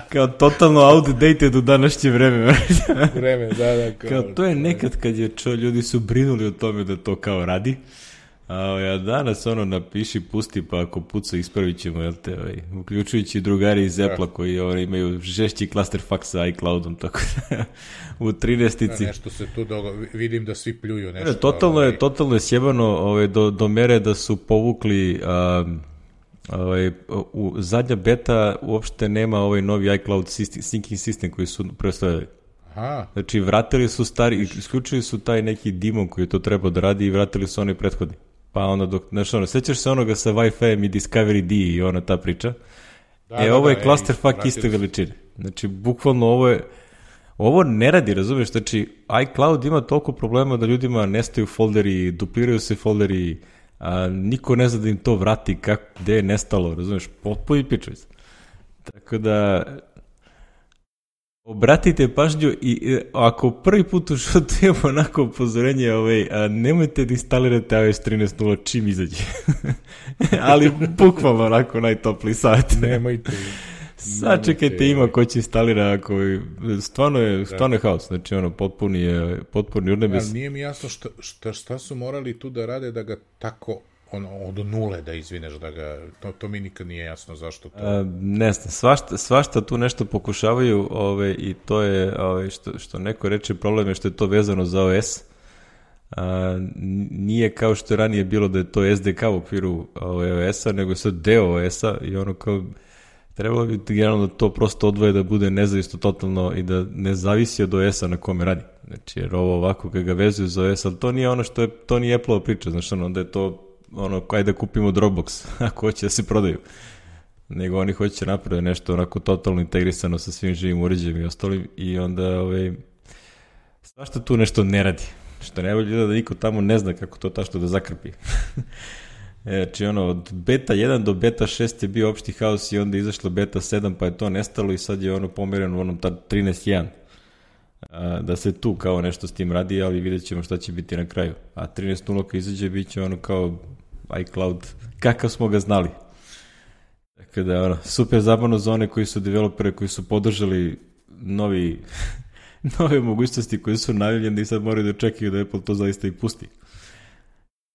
A: kao totalno outdated u današnje vreme.
B: Da.
A: Kao to je nekad kad ljudi su brinuli o tome da to kao radi. A danas napiši, pusti, pa ako puca ispravit ćemo, jel te, uključujući drugari iz Apple-a koji imaju žešći clusterfuck sa iCloudom, tako da u 13-ici.
B: Nešto se tu vidim da svi pljuju nešto.
A: Totalno je sjebano do mere da su povukli zadnja beta uopšte nema novi iCloud syncing system koji su predstavljali. Znači, vratili su isključili su taj neki demon koji to treba da radi i vratili su onaj prethodni. Pa sećaš se onoga sa Wi-Fi-em i Discovery D i ta priča? Ovo je clusterfuck iste veličine. Znači, bukvalno ovo ne radi, razumiješ? Znači, iCloud ima toliko problema da ljudima nestaju folderi, dupliraju se folderi, niko ne zna da im to vrati, gde je nestalo, razumiješ? Potpuno pičuj se. Tako da, obratite pažnju i ako prvi put u životu imamo onako upozorenje, nemojte da instalirate iOS 13.0 čim izađe. Ali bukvalno onako najtopliji savjet.
B: Nemojte.
A: Sačekajte, ima ko će instalira, stvarno je haos, znači potpuni urnebes.
B: Ali nije mi jasno šta su morali tu da rade da ga tako od nule da izvineš, da ga, to mi nikad nije jasno zašto to.
A: Ne znam, svašta tu nešto pokušavaju i to je, što neko reče, problem je što je to vezano za OS. Nije kao što je ranije bilo da je to SDK u okviru OS-a, nego je sad deo OS-a i kao trebalo bi generalno da to prosto odvoje da bude nezavisno totalno i da ne zavisi od OS-a na kome radi. Znači, jer ovo ovako kad ga vezuju za OS, ali to nije ono što je, to nije Apple-ova priča, znači onda je to kaj da kupimo Dropbox, ako hoće da se prodaju. nego oni hoće napraviti nešto onako totalno integrisano sa svim živim uređajem i ostalim i onda svašta tu nešto ne radi. Što najbolje da niko tamo ne zna kako to tašto da zakrpi. Znači od beta 1 do beta 6 je bio opšti haos i onda je izašlo beta 7 pa je to nestalo i sad je pomereno u onom 13.1. Da se tu kao nešto s tim radi, ali vidjet ćemo šta će biti na kraju. A 13.0 kad izađe bit će kao iCloud kakav smo ga znali. Tako da super zabavno za one koji su developere, koji su podržali nove mogućnosti koje su najavljene i sad moraju da čekaju da Apple to zaista i pusti.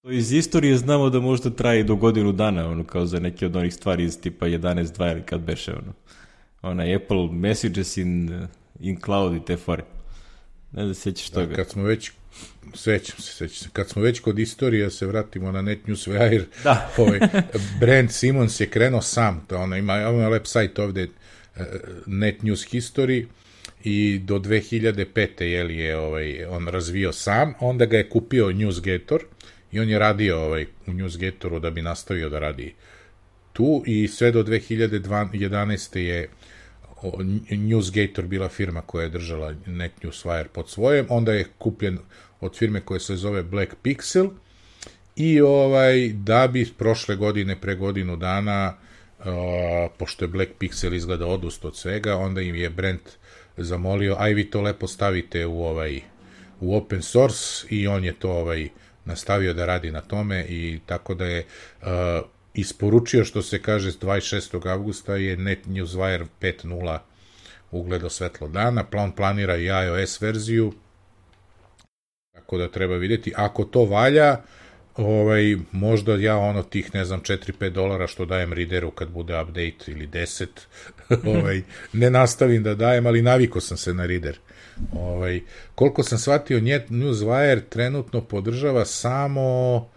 A: To iz istorije znamo da možda traje do godinu dana, kao za neke od onih stvari iz tipa 11.2 ili kad beše, Apple Messages in Cloud i te fore. Ne da sećaš toga.
B: Kad smo već, sećam se, kad smo već kod istorije, se vratimo na NetNewsWire, Brent Simons je krenuo sam, ima website ovde, NetNews History, i do 2005. je on razvio sam, onda ga je kupio NewsGator i on je radio u NewsGatoru da bi nastavio da radi tu i sve do 2011. je NewsGator bila firma koja je držala NetNewsWire pod svojem, onda je kupljen od firme koja se zove Black Pixel i da bi prošle godine, pre godinu dana, pošto je Black Pixel izgleda odustao od svega, onda im je Brent zamolio, aj vi to lepo stavite u open source i on je to nastavio da radi na tome i tako da je isporučio, što se kaže, 26. avgusta je NetNewsWire 5.0 ugledao svetlo dana, on planira i iOS verziju, tako da treba vidjeti, ako to valja, možda ja tih, ne znam, $4-5 što dajem readeru kad bude update ili 10, ne nastavim da dajem, ali naviko sam se na reader. Koliko sam shvatio, NewsWire trenutno podržava samo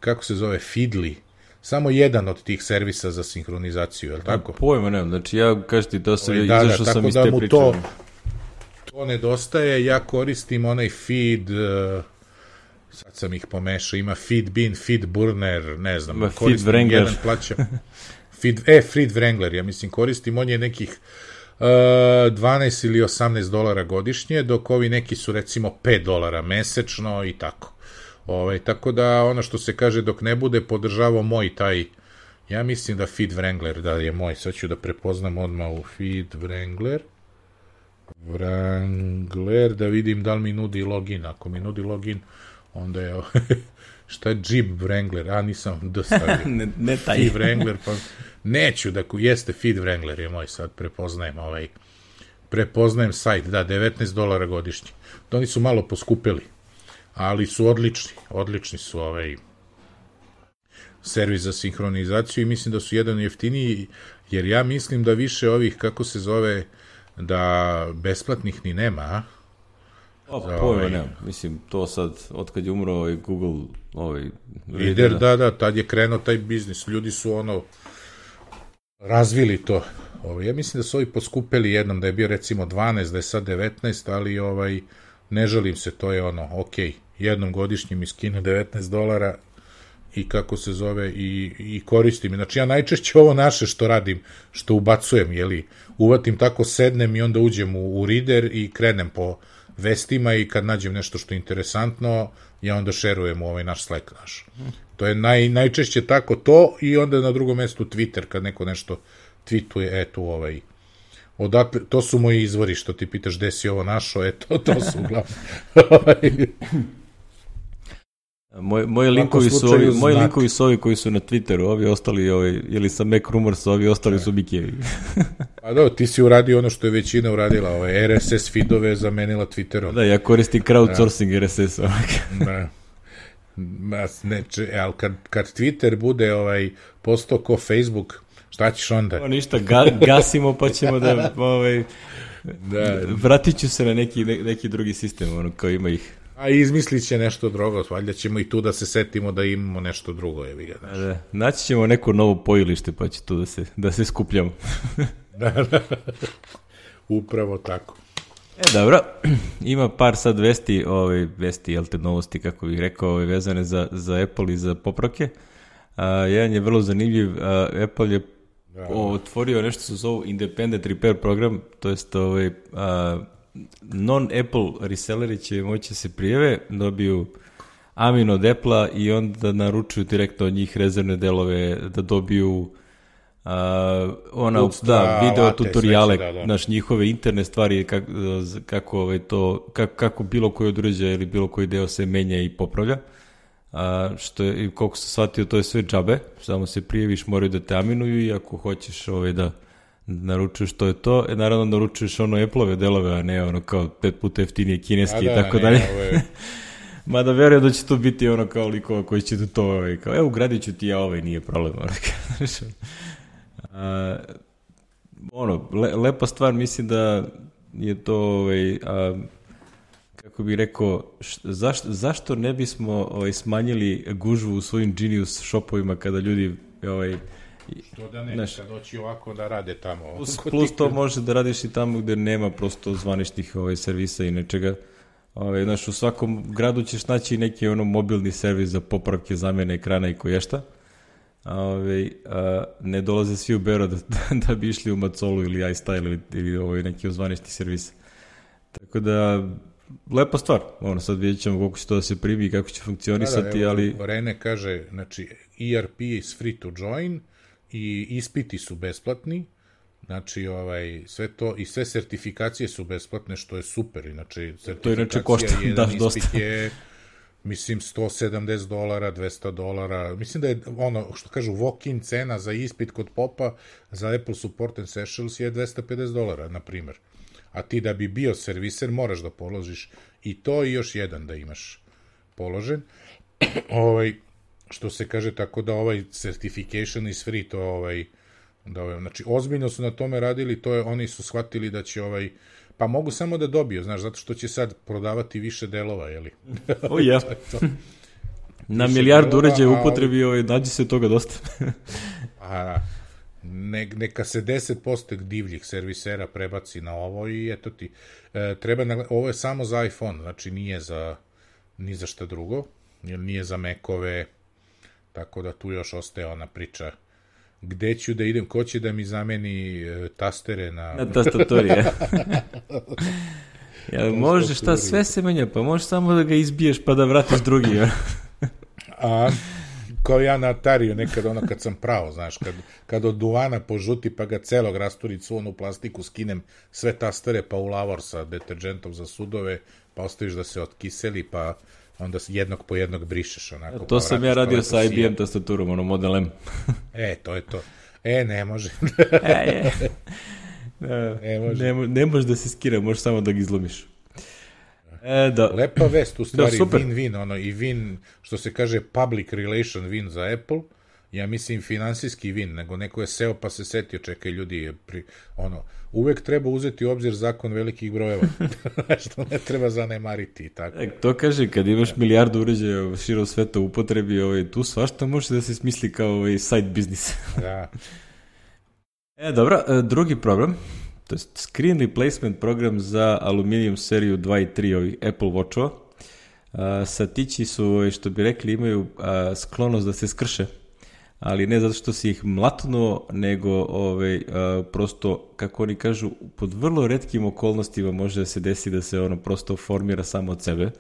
B: kako se zove, Feedly, samo jedan od tih servisa za sinhronizaciju, je li tako?
A: Pojma nemam, znači ja kažem ti to sam izašao sam iz te priče.
B: To nedostaje, ja koristim onaj feed, sad sam ih pomešao, ima Feedbean, Feedburner, ne znam, koristim jedan plaćam. Feed Wrangler, ja mislim koristim, on je nekih 12 ili $18 godišnje, dok ovi neki su recimo $5 mesečno i tako. Tako da ono što se kaže, dok ne bude podržavao moj taj, ja mislim da Feed Wrangler da je moj, sad ću da prepoznam odmah u Feed Wrangler, da vidim da li mi nudi login, ako mi nudi login, onda je šta je Jeep Wrangler, nisam dostavio.
A: ne taj.
B: Feed Wrangler, pa neću da jeste Feed Wrangler je moj, sad prepoznajem sajt, da, $19 godišnje. To oni su malo poskupili, ali su odlični su servis za sinhronizaciju i mislim da su jedan jeftiniji, jer ja mislim da više ovih, kako se zove, da besplatnih ni nema,
A: pojma nemam, mislim, to sad, otkad je umro Google,
B: Reader, da, tad je krenuo taj biznis, ljudi su razvili to. Ja mislim da su ovi poskupili jednom, da je bio recimo 12, da je sad 19, ali ne žalim se, to je jednom godišnje mi skine $19 i kako se zove i koristim. Znači ja najčešće ovo naše što radim, što ubacujem, uvatim tako, sednem i onda uđem u reader i krenem po vestima i kad nađem nešto što je interesantno, ja onda šerujem u naš Slack naš. To je najčešće tako to i onda na drugom mestu Twitter, kad neko nešto tweetuje, odakle, to su moji izvori, što ti pitaš gde si ovo našao, to su uglavnom.
A: Moji linkovi su ovi koji su na Twitteru, ovi ostali, ili sa Mac Rumors, ovi ostali su Mikijevi.
B: Pa da, ti si uradio ono što je većina uradila, RSS feedove zamenila Twitterom.
A: Da, ja koristim crowdsourcing RSS.
B: Da. Ali kad Twitter bude postao ko Facebook, šta ćeš onda?
A: Ništa, gasimo pa ćemo da vratit ću se na neki drugi sistem, kao ima ih.
B: A izmislit će nešto drugo, valjda ćemo i tu da se setimo da imamo nešto drugo.
A: Naći ćemo neko novo pojilište pa će tu da se skupljamo.
B: Da. Upravo tako.
A: Dobro, ima par sad vesti, jel te novosti, kako bih rekao, vezane za Apple i za popravke. Jedan je vrlo zanimljiv, Apple je otvorio nešto se zovu Independent Repair program, to jest non-Apple reselleri će moći se prijave, dobiju amin od Apple-a i onda naručuju direktno od njih rezervne delove, da dobiju video tutoriale, njihove interne stvari, kako bilo koji od uređaja ili bilo koji deo se menja i popravlja. Što je, koliko sam shvatio, to je sve džabe, samo se prijaviš, moraju da te aminuju i ako hoćeš da naručuješ to je to, naravno naručuješ Apple-ove delove, a ne kao 5 puta jeftinije kineski i tako dalje. Mada verujem da će to biti kao likova koji će da to, kao ugradit ću ti ja nije problem. Lepa stvar, mislim da je to, kako bih rekao, zašto ne bismo smanjili gužvu u svojim Genius shopovima kada ljudi
B: to da ne, kad doći ovako da rade tamo.
A: Plus to može da radiš i tamo gde nema prosto zvaničnih servisa i nečega. U svakom gradu ćeš naći neki mobilni servis za popravke, zamene ekrana i koješta. Ne dolaze svi u Beograd da bi išli u Macolu ili iStyle ili neki zvanični servis. Tako da, lepa stvar. Sad vidjet ćemo koliko će to da se primi i kako će funkcionisati, ali...
B: Rene kaže, znači, ERP is free to join i ispiti su besplatni, znači, sve to i sve sertifikacije su besplatne, što je super, inače, sertifikacija jedan ispit je, mislim, $170, $200, mislim da je što kažu, walk-in cena za ispit kod popa za Apple Support and Essentials je $250, na primjer. A ti da bi bio serviser moraš da položiš i to i još jedan da imaš položen. Što se kaže, tako da certification is free, to znači ozbiljno su na tome radili, oni su shvatili da će pa mogu samo da dobiju, znaš, zato što će sad prodavati više delova, jeli?
A: Na milijardu uređaja u upotrebi nađe se toga dosta.
B: Neka se 10% divljih servisera prebaci na ovo i eto ti. Ovo je samo za iPhone, znači nije ni za šta drugo, nije za Macove, tako da tu još ostaje ona priča gde ću da idem, ko će da mi zameni tastere na
A: tastaturi. Može šta, sve se menja, pa možeš samo da ga izbiješ pa da vratiš drugi.
B: Kao ja na Atariju nekad kad sam pravo, znaš, kad od duvana požuti pa ga celog rasturit svu onu plastiku, skinem sve tastere pa u lavor sa deterđentom za sudove, pa ostaviš da se otkiseli, pa onda jednog po jednog brišeš onako.
A: To sam ja radio sa IBM tastaturom, Model M.
B: To je to. Ne može.
A: Ne može da se skira, možeš samo da ga izlomiš.
B: Lepa vest, u stvari, win-win, i win, što se kaže public relation win za Apple, ja mislim finansijski win, nego neko je seo pa se setio, čekaj ljudi, uvek treba uzeti u obzir zakon velikih brojeva, što ne treba zanemariti i tako.
A: To kaže, kad imaš milijardu uređaja širom sveta u upotrebi, tu svašta može da se smisli kao side business.
B: Da.
A: Dobro, drugi problem, to je screen replacement program za Aluminium seriju 2 i 3 ovih Apple Watchova. Satići su, što bi rekli, imaju sklonost da se skrše, ali ne zato što si ih mlatnuo, nego prosto, kako oni kažu, pod vrlo retkim okolnostima može da se desi da se ono prosto formira samo od sebe.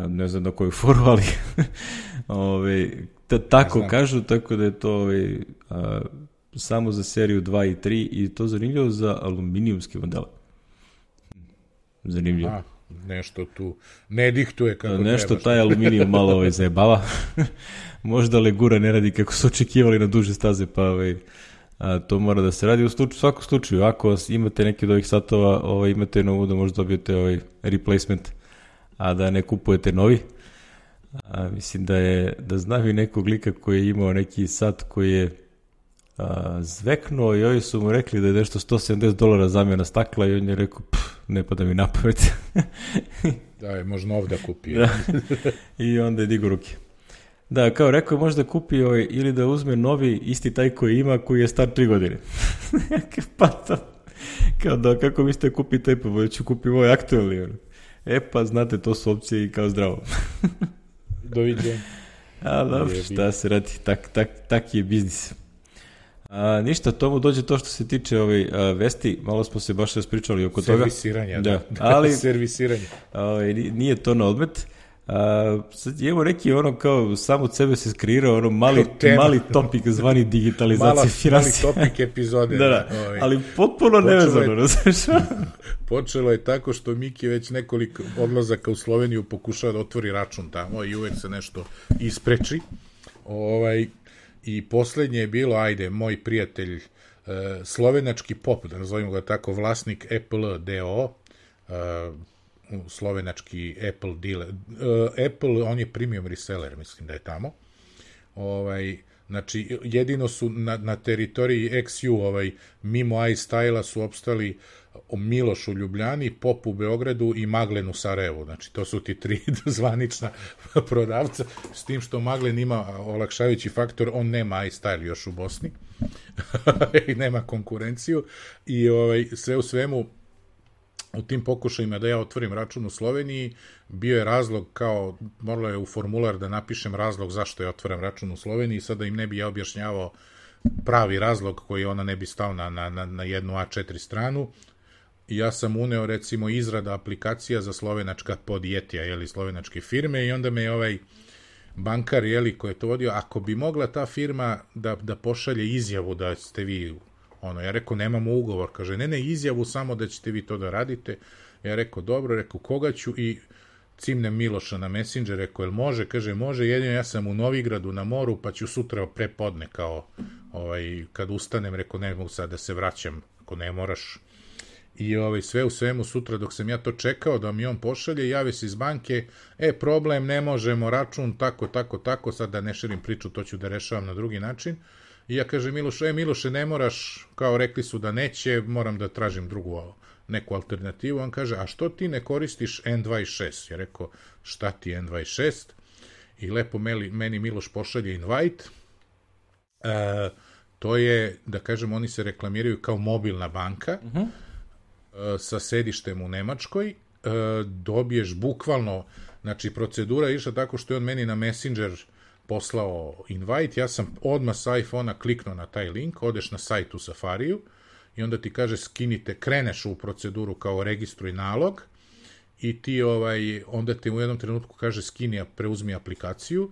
A: Ne znam na koju foru, ali tako kažu, tako da je to samo za seriju 2 i 3 i to zanimljivo za aluminijumske modele. Zanimljivo.
B: Nešto tu ne dihtuje kako treba.
A: Nešto taj aluminijum malo zajebava. Možda legura ne radi kako su očekivali na duže staze, pa to mora da se radi. U svakom slučaju, ako imate neki od ovih satova, imate novu da možda dobijete replacement, a da ne kupujete novi. Mislim da znam i nekog lika koji je imao neki sat koji je zveknuo i ovi su mu rekli da je nešto $170 zamjena stakla i on je rekao, ne pada mi na pamet.
B: Da, je možda ovdje kupio.
A: Da. I onda je digo ruke. Da, kao rekao, možda kupi ili da uzme novi, isti taj koji ima, koji je star 3 godine. Pa to, kao da, kako mislite kupi taj, pa ću kupi ovaj aktualni. Pa znate, to su opcije i kao zdravo.
B: Doviđenja.
A: A dobro, šta se radi, tak je biznis. Ništa, tomu dođe to što se tiče vesti, malo smo se baš raspričali oko toga.
B: Servisiranja, da. Ali, servisiranje.
A: Nije to na odmet. Sad imamo neki kao sam od sebe se skreirao mali topik zvani digitalizacija finansija.
B: Mali topik epizode.
A: Da, ali potpuno nevezano.
B: Počelo je tako što Miki već nekoliko odlazaka u Sloveniju pokušava da otvori račun tamo i uvek se nešto ispreči. I poslednje je bilo, moj prijatelj, slovenački pop, da nazovimo ga tako, vlasnik Apple DO, slovenački Apple dealer. Apple, on je premium reseller, mislim da je tamo. Znači, jedino su na teritoriji XU, mimo iStyle-a su opstali Miloš u Ljubljani, Pop u Beogradu i Maglen u Sarajevu. Znači, to su ti 3 zvanična prodavca, s tim što Maglen ima olakšavajući faktor, on nema iStyle još u Bosni i nema konkurenciju i sve u svemu u tim pokušajima da ja otvorim račun u Sloveniji, bio je razlog kao, moralo je u formular da napišem razlog zašto ja otvaram račun u Sloveniji, sada im ne bi ja objašnjavao pravi razlog koji ona ne bi stao na jednu A4 stranu. I ja sam uneo, recimo, izrada aplikacija za slovenačka podjetja, slovenačke firme, i onda me je bankar, koji je to vodio, ako bi mogla ta firma da pošalje izjavu da ste vi, ja rekao, nemamo ugovor, kaže, ne, izjavu samo da ćete vi to da radite. Ja rekao, dobro, koga ću, i cimnem Miloša na Messenger, rekao, jel može? Kaže, može, jedino ja sam u Novigradu na moru, pa ću sutra prepodne, kao, kad ustanem, rekao, ne mogu sad da se vraćam, ako ne moraš. I sve u svemu, sutra dok sam ja to čekao da mi on pošalje, javi se iz banke, problem, ne možemo, račun, tako, sad da ne širim priču, to ću da rešavam na drugi način. I ja kažem Miloše, ne moraš, kao rekli su da neće, moram da tražim neku alternativu. On kaže, a što ti ne koristiš N26? Ja rekao, šta ti je N26? I lepo meni Miloš pošalje invite. To je, da kažem, oni se reklamiraju kao mobilna banka, sa sedištem u Nemačkoj. Dobiješ bukvalno, znači procedura je išla tako što je on meni na Messenger poslao invite, ja sam odmah sa iPhone-a kliknuo na taj link, odeš na sajt u Safariju i onda ti kaže kreneš u proceduru kao registruj nalog i ti onda te u jednom trenutku kaže preuzmi aplikaciju,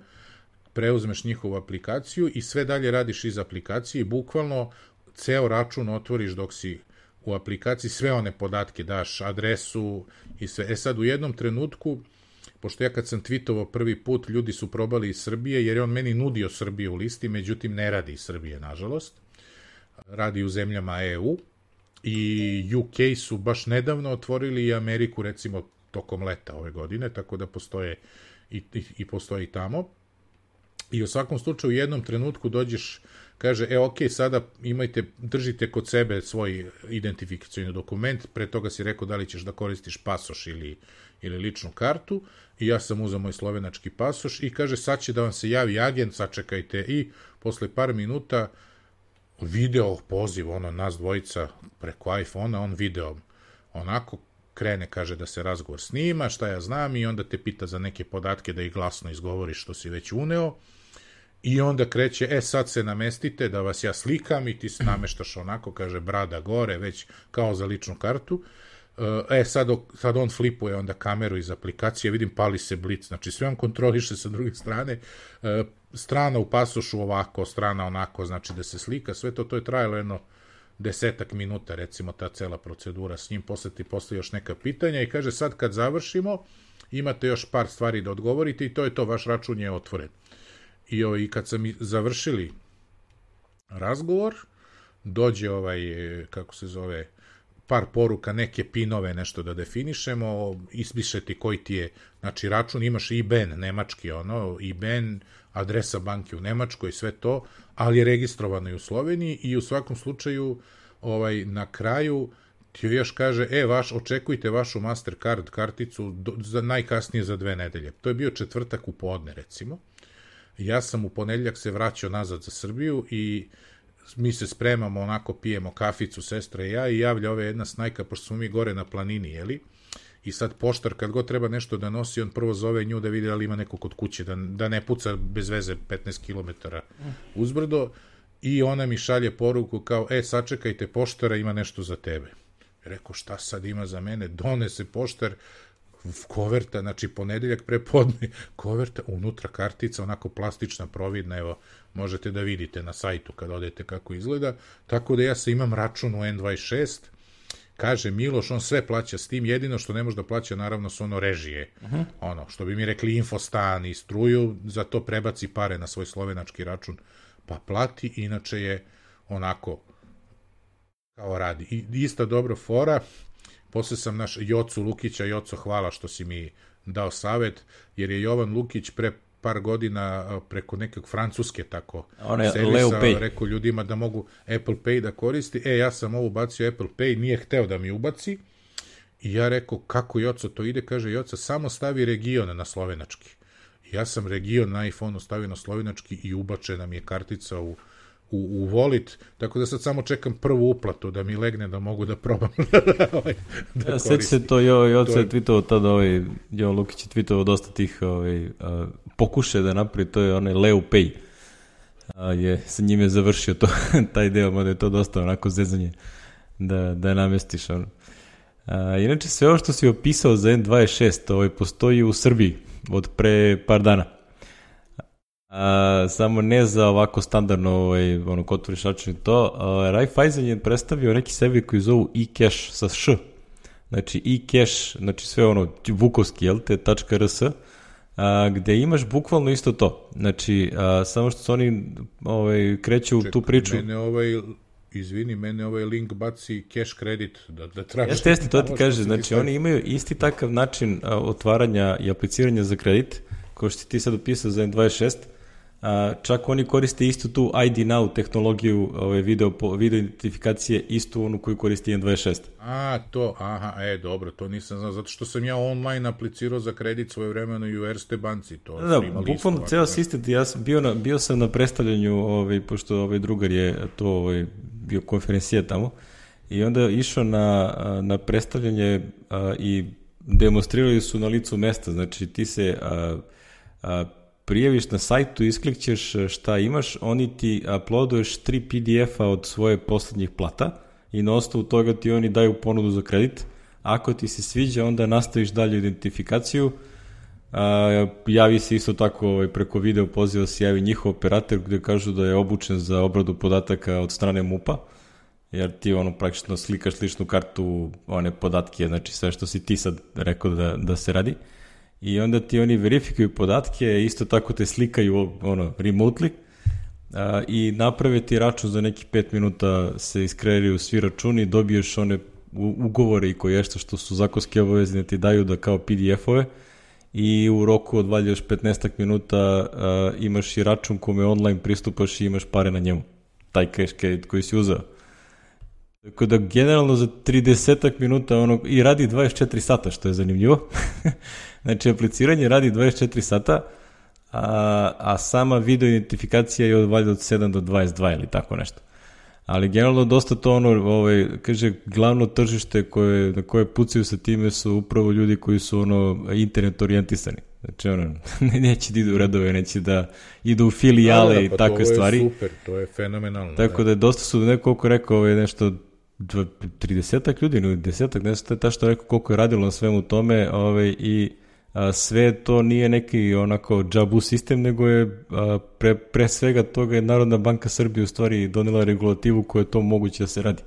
B: preuzmeš njihovu aplikaciju i sve dalje radiš iz aplikacije i bukvalno ceo račun otvoriš dok si u aplikaciji, sve one podatke daš, adresu i sve. Sad u jednom trenutku, pošto ja kad sam tweetovao prvi put, ljudi su probali iz Srbije, jer je on meni nudio Srbiju u listi, međutim ne radi iz Srbije, nažalost. Radi u zemljama EU i UK su baš nedavno otvorili i Ameriku, recimo, tokom leta ove godine, tako da postoje i tamo. I u svakom slučaju u jednom trenutku dođeš, kaže, sada držite kod sebe svoj identifikacioni dokument, pre toga si rekao da li ćeš da koristiš pasoš ili ličnu kartu, i ja sam uzeo moj slovenački pasoš i kaže, sad će da vam se javi agent, sačekajte, i posle par minuta video poziv, nas dvojica preko iPhone-a, on video, onako krene, kaže da se razgovor snima, šta ja znam, i onda te pita za neke podatke da ih glasno izgovoriš što si već uneo, i onda kreće, sad se namestite da vas ja slikam, i ti se nameštaš onako, kaže, brada gore, već kao za ličnu kartu. Sad on flipuje onda kameru iz aplikacije, vidim, pali se blic, znači sve on kontroliše sa druge strane, strana u pasošu ovako, strana onako, znači da se slika, sve to je trajalo jedno 10 minuta, recimo, ta cela procedura s njim, posle ti postoji još neka pitanja i kaže, sad kad završimo, imate još par stvari da odgovorite i to je to, vaš račun je otvoren. I kad sam završili razgovor, dođe kako se zove, par poruka, neke pinove, nešto da definišemo, ispiše ti koji ti je, znači, račun, imaš IBAN, nemački, IBAN, adresa banke u Nemačkoj, sve to, ali je registrovano i u Sloveniji, i u svakom slučaju, na kraju ti još kaže, očekujte vašu Mastercard karticu najkasnije za 2 nedelje. To je bio četvrtak u podne, recimo. Ja sam u ponedeljak se vraćao nazad za Srbiju i mi se spremamo, onako pijemo kaficu, sestra i ja, i javlja jedna snajka, pošto smo mi gore na planini, i sad poštar kad god treba nešto da nosi, on prvo zove nju da vidi ali ima neko kod kuće, da ne puca bez veze 15 km uzbrdo, i ona mi šalje poruku kao, sačekajte poštara, ima nešto za tebe. Rekao, šta sad ima za mene? Donese poštar, koverta, znači ponedeljak prepodne, koverta, unutra kartica, onako plastična, providna, evo, možete da vidite na sajtu kad odete kako izgleda, tako da ja se imam račun u N26, kaže Miloš, on sve plaća s tim, jedino što ne može da plaća, naravno, su ono režije, ono, što bi mi rekli infostan i struju, za to prebaci pare na svoj slovenački račun, pa plati, inače je onako, kao radi. I ista dobra fora, posle sam naš Jocu Lukića, Joco, hvala što si mi dao savet, jer je Jovan Lukić pre par godina preko nekog francuske tako servisa rekao ljudima da mogu Apple Pay da koristi. Ja sam ovo ubacio Apple Pay, nije hteo da mi ubaci i ja rekao, kako Joco to ide? Kaže Joca, samo stavi region na slovenački. Ja sam region na iPhone-u stavio na slovenački i ubačena mi je kartica u Wallet, tako da sad samo čekam prvu uplatu da mi legne da mogu da probam da koristim.
A: Sveći se to, Joca je tweetovao tada, Jovan Lukić je tweetovao dosta tih pokušaja da napravi, to je onaj Leo Pay. Sa njime završio to, taj deo, mada je to dosta onako zezanje da namestiš. Inače, sve ovo što si opisao za N26 postoji u Srbiji od pre par dana. Samo ne za ovako standardno kod otvoriš račun i to. Raiffeisen je predstavio neki servis koji zovu eCash sa š. Znači eCash, znači sve vukovski, .rs, gde imaš bukvalno isto to. Znači, samo što su oni kreću tu priču.
B: Mene ovaj link baci cash kredit da tražiš.
A: Jeste, to ti kaže. Znači, oni imaju isti takav način otvaranja i apliciranja za kredit, kao što ti sad opisao za N26, čak oni koriste istu tu ID Now tehnologiju video identifikacije, istu onu koju koristi N26.
B: Dobro, to nisam znao, zato što sam ja online aplicirao za kredit svoje vremeno i u Erste banci.
A: Bukvalno ceo sistem, ja sam bio sam na predstavljanju, pošto drugar je to bio konferencija tamo, i onda je išao na predstavljanje i demonstrirali su na licu mesta, znači ti se prijaviš na sajtu, isklikćeš šta imaš, oni ti uploaduješ 3 PDF-a od svoje poslednjih plata i na osnovu toga ti oni daju ponudu za kredit. Ako ti se sviđa, onda nastaviš dalje identifikaciju. Javi se isto tako preko video poziva se javi njihov operator gde kažu da je obučen za obradu podataka od strane MUP-a, jer ti praktično slikaš ličnu kartu, one podatke, znači sve što si ti sad rekao da se radi. I onda ti oni verifikuju podatke, isto tako te slikaju remotely i naprave ti račun za neki 5 minuta, se iskreiraju svi računi, dobiješ one ugovore i koješta što su zakonski obavezni da ti daju da kao PDF-ove i u roku od valjda još 15 minuta imaš i račun kome online pristupaš i imaš pare na njemu, taj cash credit koji si uzeo. Tako da generalno za 30 minuta i radi 24 sata, što je zanimljivo. Znači, apliciranje radi 24 sata, a sama video identifikacija je od 7 do 22 ili tako nešto. Ali generalno dosta to kaže, glavno tržište na koje pucaju sa time su upravo ljudi koji su internet orijentisani. Znači, neće da idu u redove, neće da idu u filijale i takve stvari.
B: To je super, to je fenomenalno.
A: Tako da dosta su, nekoliko rekao, nešto 30 ljudi, 10, ne znam tačno rekao koliko je radilo na svemu tome i sve to nije neki onako džabu sistem, nego je pre svega toga je Narodna banka Srbije u stvari donela regulativu koja je to moguće da se radi.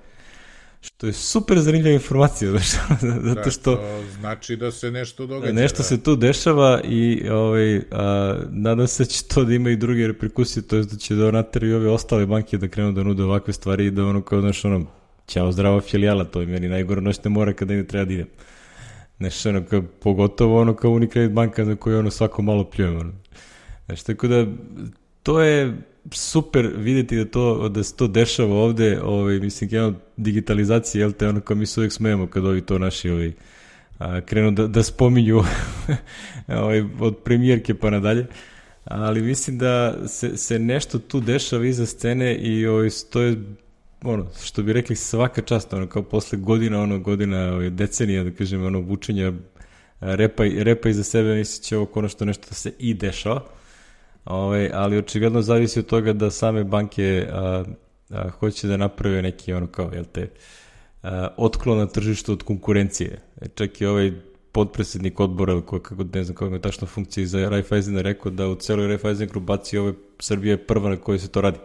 A: Što je super zanimljiva informacija, zato što...
B: To znači da se nešto događa.
A: Nešto se tu dešava i nadam se da će to da ima i druge reperkusije, to je da će da nateraju ove ostale banke da krenu da nude ovakve stvari i da ćao zdrava filijala, to je meni najgore noćne mora kada ne treba da idem. Nešto pogotovo kao Unicredit banka za koju svako malo pljujem. Znači, tako da to je super vidjeti da se to dešava ovde, mislim, digitalizacija, kao mi se uvijek smijemo kad ovi to naši krenu da spominju od premijerke pa nadalje, ali mislim da se nešto tu dešava iza scene i to je što bi rekli, svaka čast, kao posle godina, decenija, da kažem, vučenja repa iza sebe, misli će ovo konačno nešto da se i dešava, ali očigledno zavisi od toga da same banke hoće da naprave neki otklon na tržištu od konkurencije. Čak i ovaj podpredsednik odbora, ne znam kako je tačno funkcija za Raiffeisena, rekao da u celoj Raiffeisen grupaciji Srbija je prva na kojoj se to radi.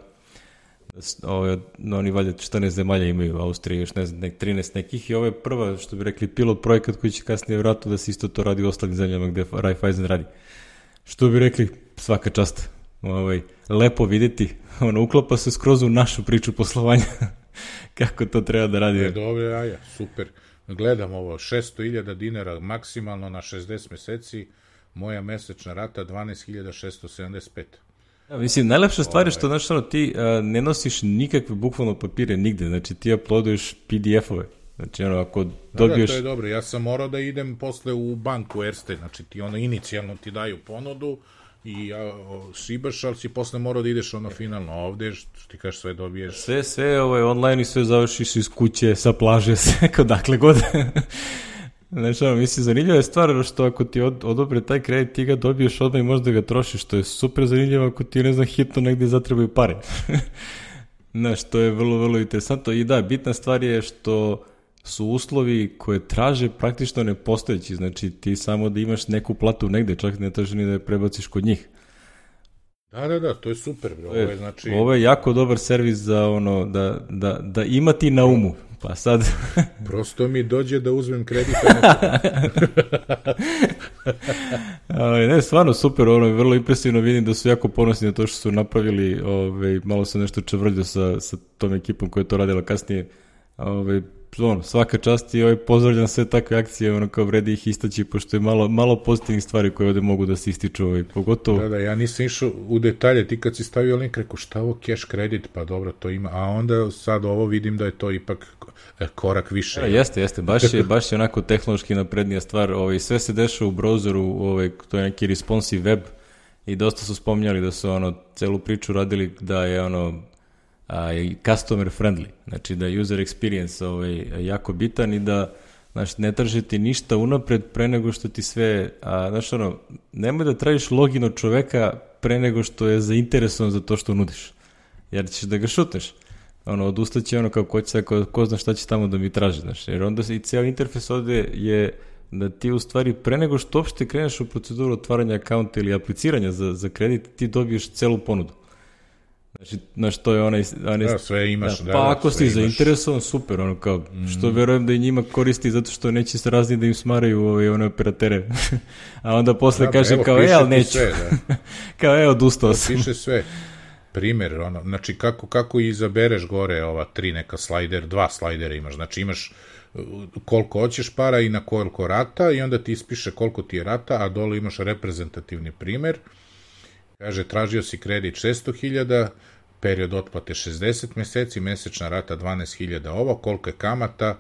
A: Oni valjda 14 zemalja imaju, Austrija još ne znam, 13 nekih, i ovo je prva, što bi rekli, pilot projekat koji će kasnije vratno da se isto to radi u ostalim zemljama gde Raiffeisen radi. Što bi rekli, svaka čast. Lepo videti, uklapa se skroz u našu priču poslovanja, kako to treba da radi.
B: Dobro, super. Gledam ovo, 600.000 dinara maksimalno na 60 meseci, moja mesečna rata 12.675.
A: Mislim, najlepša stvar je što, ti ne nosiš nikakve bukvalno papire nigde, znači ti uploaduješ PDF-ove. Znači, ako dobiješ...
B: Da, to je dobro, ja sam morao da idem posle u banku Erste, znači ti inicijalno ti daju ponudu i šibaš, ali si posle morao da ideš finalno ovde, što ti kažeš, sve dobiješ.
A: Sve online i sve završiš iz kuće, sa plaže, sve odakle god. Znači, mislim, zanimljiva je stvar što ako ti odobre taj kredit, ti ga dobiješ odmah i možda ga trošiš, što je super zanimljivo ako ti, ne znam, hitno negdje zatrebaju pare. Znaš, to je vrlo, vrlo interesantno. I da, bitna stvar je što su uslovi koje traže praktično nepostojeći, znači ti samo da imaš neku platu negde, čak ne traži ni da je prebaciš kod njih.
B: Da, to je super, bro.
A: Ovo je jako dobar servis za da ima ti na umu. Pa sad...
B: Prosto mi dođe da uzmem kredit.
A: Ne, stvarno super, vrlo impresivno, vidim da su jako ponosni na to što su napravili, malo sam nešto čevrljio sa tom ekipom koja je to radila kasnije, svaka čast i pozdravljam sve takve akcije, kao vredi ih istaći, pošto je malo pozitivnih stvari koje ovde mogu da se ističu, pogotovo...
B: Da, ja nisam išao u detalje, ti kad si stavio link, rekao šta ovo cash kredit, pa dobro, to ima, a onda sad ovo vidim da je to ipak korak više.
A: Jeste, baš je onako tehnološki naprednija stvar, sve se dešava u browseru, to je neki responsive web i dosta su spominjali da su celu priču radili da je customer friendly, znači da je user experience jako bitan i da ne tražiti ništa unapred pre nego što ti sve, nemoj da tražiš login od čoveka pre nego što je zainteresovan za to što nudiš, jer ćeš da ga šutneš, odustaće kao ko zna šta će tamo da mi traži, jer onda i cijel interfejs ovde je da ti u stvari pre nego što uopšte kreneš u proceduru otvaranja akaunta ili apliciranja za kredit, ti dobiješ celu ponudu. Znači, to je onaj...
B: Da, sve imaš.
A: Pa ako si zainteresovan, super, što verujem da i njima koristi zato što neće se razni da im smaraju one operatere. A onda posle kaže kao, ali neću. Kao, odustao sam.
B: Piše sve. Primer, znači kako izabereš gore ova 3 neka dva slajdera imaš, znači imaš koliko hoćeš para i na koliko rata i onda ti ispiše koliko ti je rata, a dole imaš reprezentativni primer. Kaže, tražio si kredit 600.000, period otplate 60 meseci, mesečna rata 12.000 ovo, koliko je kamata,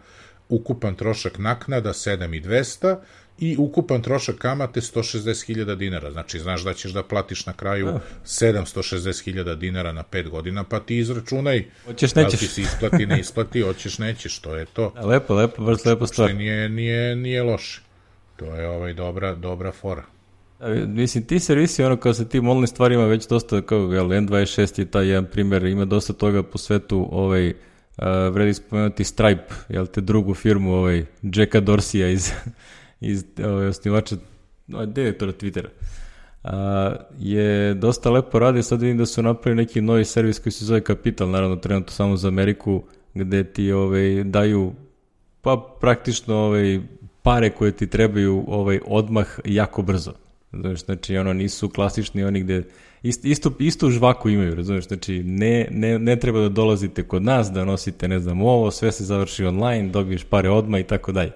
B: ukupan trošak naknada 7.200 i ukupan trošak kamate 160.000 dinara. Znači, znaš da ćeš da platiš na kraju 760.000 dinara na 5 godina, pa ti izračunaj da li ti se isplati, ne isplati, hoćeš, nećeš, to je to.
A: Lepo, baš lepo stvar.
B: Nije loše. To je dobra fora.
A: Mislim, ti servisi, kao sa tim online stvarima već dosta, kao N26 je taj jedan primjer, ima dosta toga po svetu, vredi spomenuti Stripe, drugu firmu, Jacka Dorsija iz osnivača, direktora Twittera, je dosta lepo radi, sad vidim da su napravili neki novi servis koji se zove Capital, naravno trenutno samo za Ameriku, gde ti daju, pa praktično pare koje ti trebaju odmah jako brzo. Znači, nisu klasični oni gde istu žvaku imaju, razumiješ, znači ne treba da dolazite kod nas, da nosite, ne znam, ovo, sve se završi online, dobiješ pare odmah i tako dalje.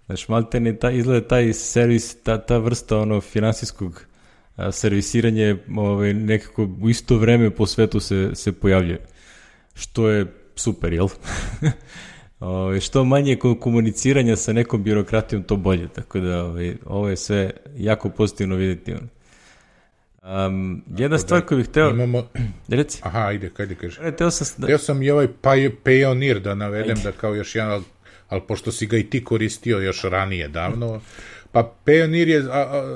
A: Znači, maltene izgleda taj servis, ta vrsta finansijskog servisiranja nekako u isto vreme po svetu se pojavljuje, što je super, jel? Što manje komuniciranja sa nekom birokratijom, to bolje, tako da ovo je sve jako pozitivno vidjeti. Jedna stvar koju bih hteo...
B: Reci. Aha, ajde kažeš.
A: Hteo
B: sam i ovaj Payoneer da navedem, da kao još jedan, ali pošto si ga i ti koristio još ranije, davno, pa Payoneer je,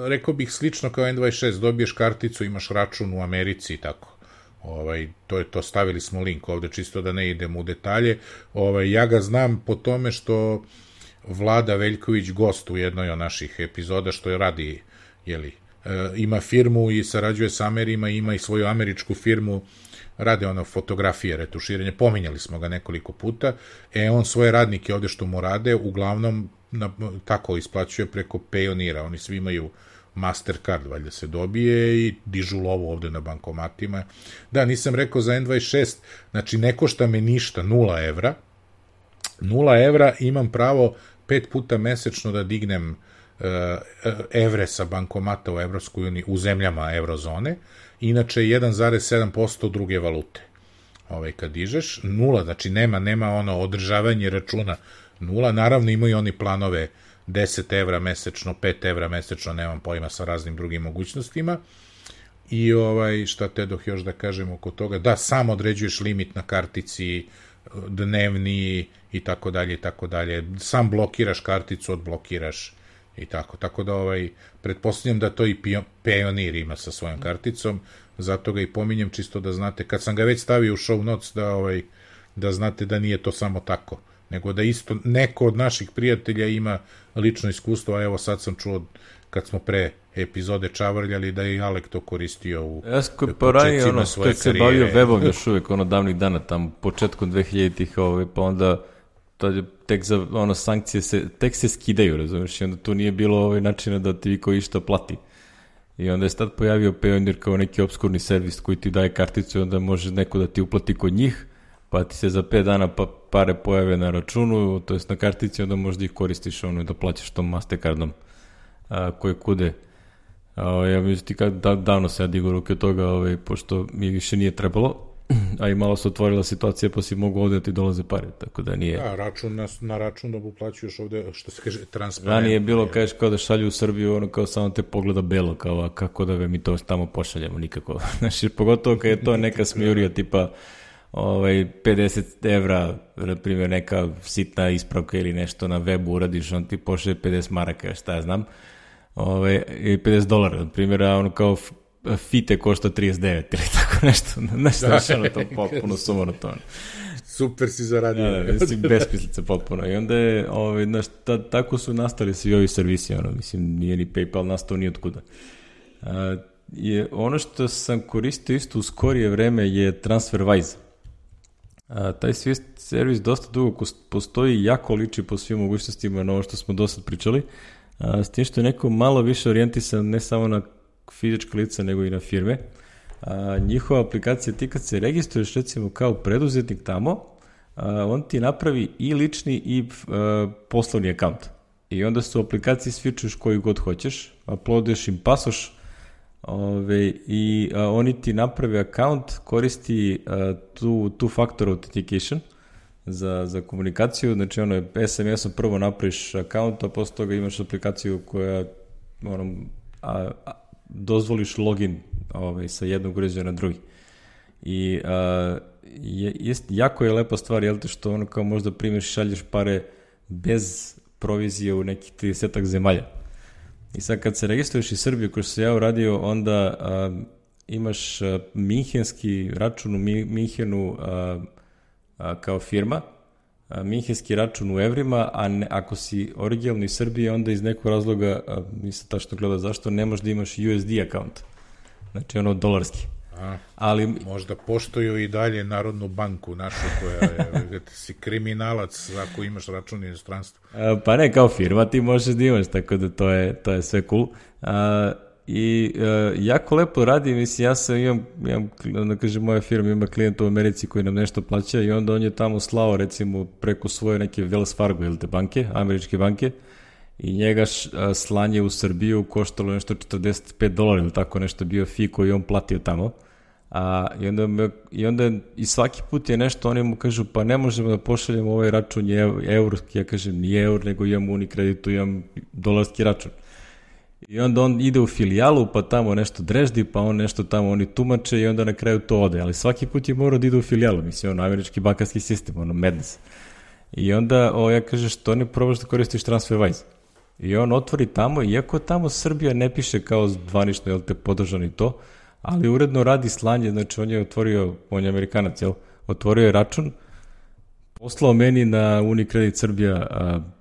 B: rekao bih, slično kao N26, dobiješ karticu, imaš račun u Americi i tako. To stavili smo link ovde, čisto da ne idemo u detalje. Ja ga znam po tome što Vlada Veljković, gost u jednoj od naših epizoda, što je radi, ima firmu i sarađuje sa Amerima, ima i svoju američku firmu, rade fotografije, retuširanje, pominjali smo ga nekoliko puta, on svoje radnike ovde što mu rade, uglavnom tako isplaćuje preko Payoneera, oni svi imaju Mastercard, valjda se dobije i dižu lovu ovde na bankomatima. Da, nisam rekao za N26, znači ne košta me ništa, 0 evra, 0 evra, imam pravo 5 puta mesečno da dignem evre sa bankomata u Evropskoj uniji, u zemljama eurozone, inače 1,7% druge valute. Kad dižeš, 0, znači nema održavanje računa, 0, naravno imaju oni planove 10 evra mesečno, 5 evra mesečno, nemam pojma, sa raznim drugim mogućnostima. I šta tedoh još da kažem oko toga, da sam određuješ limit na kartici, dnevni i tako dalje, sam blokiraš karticu, odblokiraš i tako da pretpostavljam da to i Payoneer ima sa svojom karticom, zato ga i pominjem čisto da znate, kad sam ga već stavio u show notes, da znate da nije to samo tako, nego da isto neko od naših prijatelja ima lično iskustvo, a evo sad sam čuo kad smo pre epizode čavrljali da je i Alek to koristio u početcima svoje karijere. Kad
A: se bavio webom još uvek, davnih dana, tamo početkom 2000-ih, pa onda tek za sankcije tek se skidaju, razumiješ, i onda tu nije bilo načina da ti viko išta plati. I onda je sad pojavio Payoneer kao neki obskurni servis koji ti daje karticu i onda može neko da ti uplati kod njih, pa ti se za 5 dana pare pojave na računu, to jest na kartici, onda možda ih koristiš da plaćaš tom Mastercardom koje kude. Ja mislim ti davno se ja digo ruke od toga, pošto mi više nije trebalo, a i malo se otvorila situacija pa si mogu ovde da ti dolaze pare, tako da nije...
B: Da, na račun da uplaćuješ ovde, što se kaže, transparentno.
A: Ranije je bilo, kažeš, kao da šalju u Srbiju, kao samo te pogleda belo, kao kako da mi to tamo pošaljemo, nikako. Znači, pogotovo kad je to neka smijurija, tipa 50 evra, na primjer, neka sitna ispravka ili nešto na webu uradiš, on ti pošalje 50 maraka, šta ja znam, i $50, na primjer, kao fite košta 39 ili tako nešto, nešto to potpuno sumonotono.
B: Super si zaradio.
A: Mislim, besmislice potpuno. I onda je, tako su nastali svi ovi servisi, mislim, nije ni PayPal nastao ni otkuda. Ono što sam koristio isto u skorije vreme je TransferWise. Taj servis dosta dugo postoji i jako liči po svim mogućnostima na ovo što smo do sad pričali, s tim što je neko malo više orijentisan ne samo na fizička lica nego i na firme. Njihova aplikacija, ti kad se registruješ recimo kao preduzetnik tamo, on ti napravi i lični i poslovni akaunt. I onda se u aplikaciji svičuješ koju god hoćeš, uploaduješ im pasoš, i oni ti napravi akaunt, koristi two-factor authentication za komunikaciju, znači SMS-om prvo napraviš akaunt, a posle toga imaš aplikaciju koja dozvoliš login sa jednog uređaja na drugi. I jako je lepa stvar, jel te, što kao možda primjeriš šalješ pare bez provizije u nekih 30 zemalja. I sad kad se registruješ iz Srbije, ko što se ja uradio, onda imaš minhenski račun u Minhenu kao firma, minhenski račun u evrima, a ako si originalni iz Srbije, onda iz nekog razloga, nisam tačno gledao zašto, ne možeš da imaš USD akaunt. Znači dolarski. Ali
B: možda poštuju i dalje Narodnu banku našu koja je si kriminalac ako imaš račun u inostranstvu.
A: Pa ne, kao firma ti možeš da imaš, tako da to je sve cool. I jako lepo radi, mislim, ja sam imam da kažem, moja firma ima klijenta u Americi koji nam nešto plaća i onda on je tamo slao recimo preko svoje neke Wells Fargo ili te banke, američke banke, i njega slanje u Srbiju koštalo nešto $45 ili tako nešto bio fee koji on platio tamo. I onda i svaki put je nešto, oni mu kažu pa ne možemo da pošaljemo ovaj račun je eur, ja kažem nije eur, nego imam Unikreditu, imam dolarski račun. I onda on ide u filijalu, pa tamo nešto dreždi, pa on nešto tamo oni tumače i onda na kraju to ode. Ali svaki put je morao da ide u filijalu, mislim, američki bankarski sistem, madness. I onda ja kaže, što ne probaš da koristiš TransferWise? I on otvori tamo, iako tamo Srbija ne piše kao zvanično, jel te, podržan i to, ali uredno radi slanje, znači on je otvorio, on je Amerikanac, jel, otvorio je račun, poslao meni na Unicredit Srbija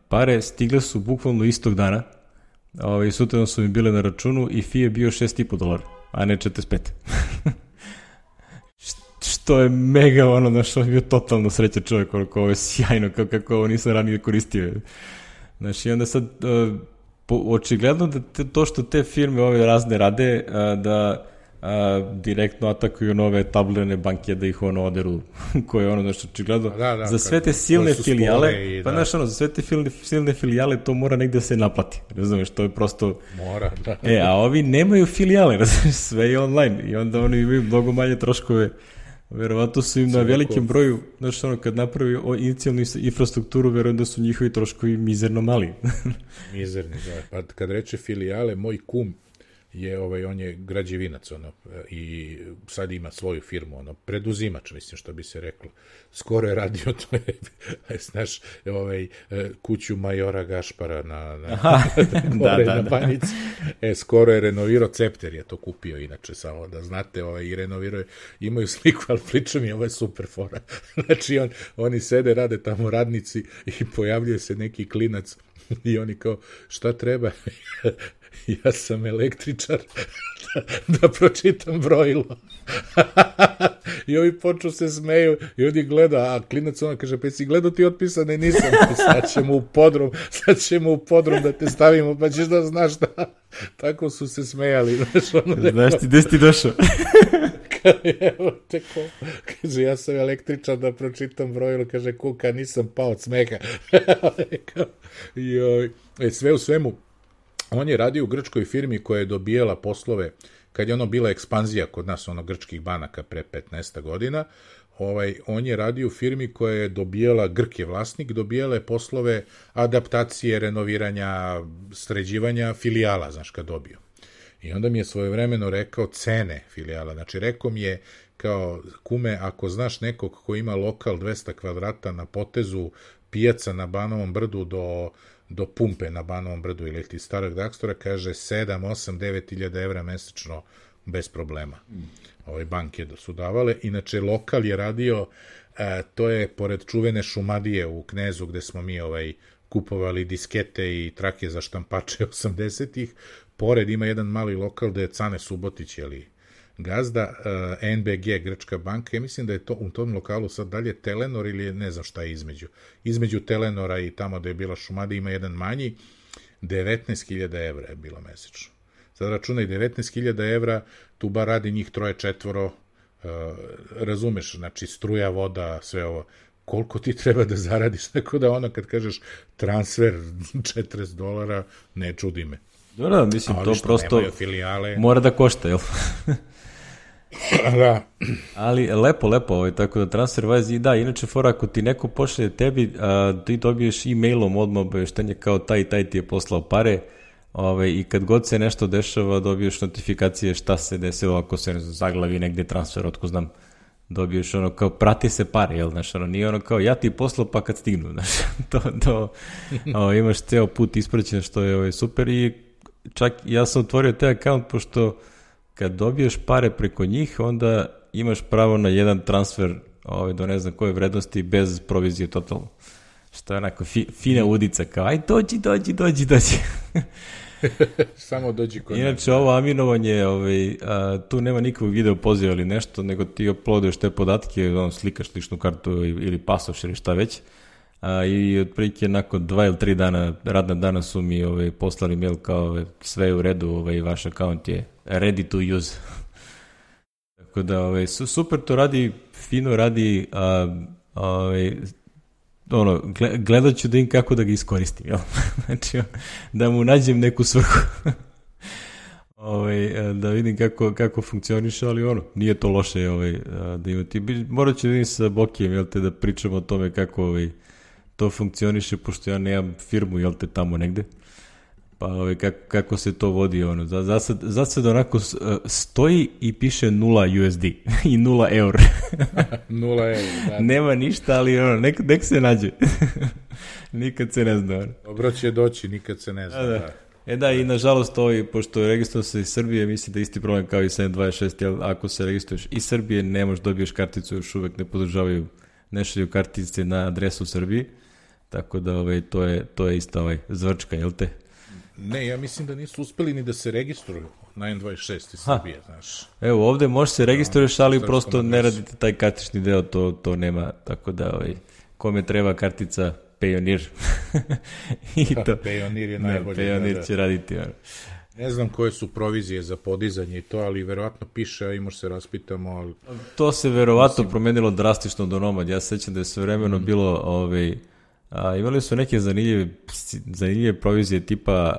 A: pare, stigle su bukvalno istog dana, i sutra su mi bile na računu i fee je bio $6,5, a ne 45. Što je mega, znaš, on je bio totalno srećan čovjek, ovo je sjajno, kako ovo nisam ranije koristio. Znači, onda sad, očigledno da to što te firme ove razne rade, da direktno atakuju nove tabularne banke, da ih oderu, koje je znači, očigledno, za sve te silne filijale, pa znaš, za sve te silne filijale to mora negde se naplati, razumiješ, to je prosto...
B: Mora, da.
A: A ovi nemaju filijale, razumiješ, sve je online i onda oni imaju mnogo manje troškove. Verovatno su im na velikim broju, znači kad napravi inicijalnu infrastrukturu, verujem da su njihovi troškovi mizerno mali.
B: Mizerni, da. Pa kad reče filijale, moj kum je, on je građevinac, i sad ima svoju firmu, preduzimač, mislim, što bi se reklo. Skoro je radio to, znaš, kuću majora Gašpara na Banjici. Skoro je renovirao, Cepter je to kupio, inače, samo da znate, i renovirao je, imaju sliku, ali pričam je, ovo je super fora. Znači, oni sede, rade tamo radnici i pojavljuje se neki klinac i oni kao, šta treba? Ja sam električar, da pročitam brojilo. I ovi počnu se smeju i ovdje gleda, a klinac ona kaže, pa si gledao ti otpisane, nisam, sad ćemo u podrum da te stavimo, pa ćeš da znaš da. Tako su se smejali.
A: Znaš ti, gde si ti došao?
B: Evo teko, kaže, ja sam električar, da pročitam brojilo, kaže, kuka, nisam pao od smeha. Sve u svemu, on je radio u grčkoj firmi koja je dobijala poslove, kad je bila ekspanzija kod nas, grčkih banaka pre 15 godina, on je radio u firmi koja je dobijala, Grk je vlasnik, dobijala je poslove adaptacije, renoviranja, sređivanja filijala, znaš, kad dobio. I onda mi je svojevremeno rekao cene filijala, znači rekao mi je, kao, kume, ako znaš nekog ko ima lokal 200 kvadrata na potezu pijaca na Banovom brdu do pumpe na Banovom brdu ili ti starog Dakstora, kaže 7, 8, 9 hiljada evra mesečno bez problema. Banke su davale. Inače, lokal je radio, to je pored čuvene Šumadije u Knezu, gde smo mi kupovali diskete i trake za štampače 80-ih. Pored ima jedan mali lokal gde je Cane Subotić, gazda, NBG, grčka banka. Ja mislim da je to u tom lokalu sad dalje Telenor ili ne znam šta je između. Između Telenora i tamo da je bila Šumadija ima jedan manji, 19.000 evra je bilo mesečno. Sad računaj 19.000 evra, tu bar radi njih 3-4, razumeš, znači struja, voda, sve ovo. Koliko ti treba da zaradiš, tako da kad kažeš transfer $40, ne čudi me.
A: Da, mislim, to prosto mora da košta, jel?
B: Da.
A: Ali lepo, tako da TransferWise, i da, inače fora, ako ti neko pošalje tebi, ti dobiješ e-mailom odmah obaveštenje kao taj ti je poslao pare, i kad god se nešto dešava, dobiješ notifikacije šta se desilo, ako se zaglavi negde transfer, otko znam, dobiješ kao prati se pare, jel, znaš, nije kao ja ti poslao pa kad stignu, znaš, to imaš ceo put ispraćen, što je super. I čak ja sam otvorio taj akaunt, pošto kad dobiješ pare preko njih, onda imaš pravo na jedan transfer do ne znam koje vrednosti bez provizije totalno. Što je onako fina udica, kao aj dođi.
B: Samo dođi kod.
A: Inače, ovo aminovanje, tu nema nikakvog video poziva ili nešto, nego ti uploaduješ te podatke, slikaš ličnu kartu ili pasoš ili šta već. I otprilike nakon 2 ili 3 dana, radna dana su mi poslali mail kao sve je u redu, vaš akaunt je ready to use. Tako da super to radi, fino radi, gledat ću da im kako da ga iskoristim, jel? Znači, da mu nađem neku svrhu. Da vidim kako funkcioniše, ali nije to loše da imati. Morat ću da vidim sa Bokijem, jel te, da pričamo o tome kako to funkcioniše, pošto ja nemam firmu, jel te, tamo negde. Pa kako se to vodi, za sad onako stoji i piše 0 USD i 0 eur.
B: 0 eur, da.
A: Nema ništa, ali nek se nađe. Nikad se ne zna.
B: Dobro će doći, nikad se ne zna.
A: Da. I nažalost pošto je registrovao se iz Srbije, mislim da je isti problem kao i 726, jer ako se registruješ iz Srbije, ne možeš dobiješ karticu, još uvek ne podržavaju, ne šalju kartice na adresu u Srbiji, tako da to je ista zvrčka, jel te?
B: Ne, ja mislim da nisu uspeli ni da se registruju na N26 iz Srbije, znaš.
A: Evo, ovde možeš se registruješ, ali prosto ne radite taj kartični deo, to nema, tako da kome treba kartica Payoneer.
B: Payoneer je najbolji.
A: Payoneer će raditi.
B: Ne znam koje su provizije za podizanje i to, ali verovatno piše, a možda se raspitamo. Ali...
A: To se verovatno promenilo drastično do Nomad. Ja se sećam da je svevremeno bilo, imali su neke zanimljive provizije tipa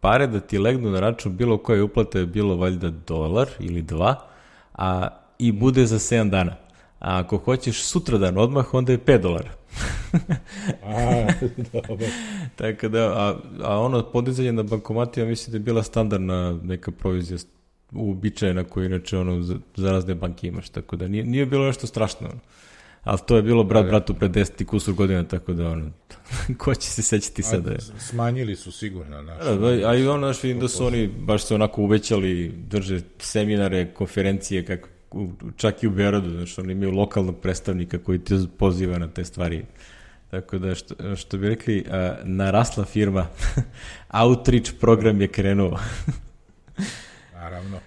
A: pare da ti legnu na račun bilo koje uplate je bilo valjda $1 ili 2, i bude za 7 dana. A ako hoćeš sutradan odmah, onda je $5.
B: Dobro.
A: Tako da, podizanje na bankomatima mislim da je bila standardna neka provizija uobičajena koju inače za razne banke imaš, tako da nije bilo nešto strašno. Ali to je bilo bratu pred 10 i kusur godina, tako da ko će se sećati sada?
B: Smanjili su sigurno.
A: A i vidim da su oni baš se onako uvećali, drže seminare, konferencije, čak i u Beogradu, znači oni imaju lokalnog predstavnika koji te poziva na te stvari. Tako da, što bi rekli, narasla firma, outreach program je krenuo.
B: Naravno.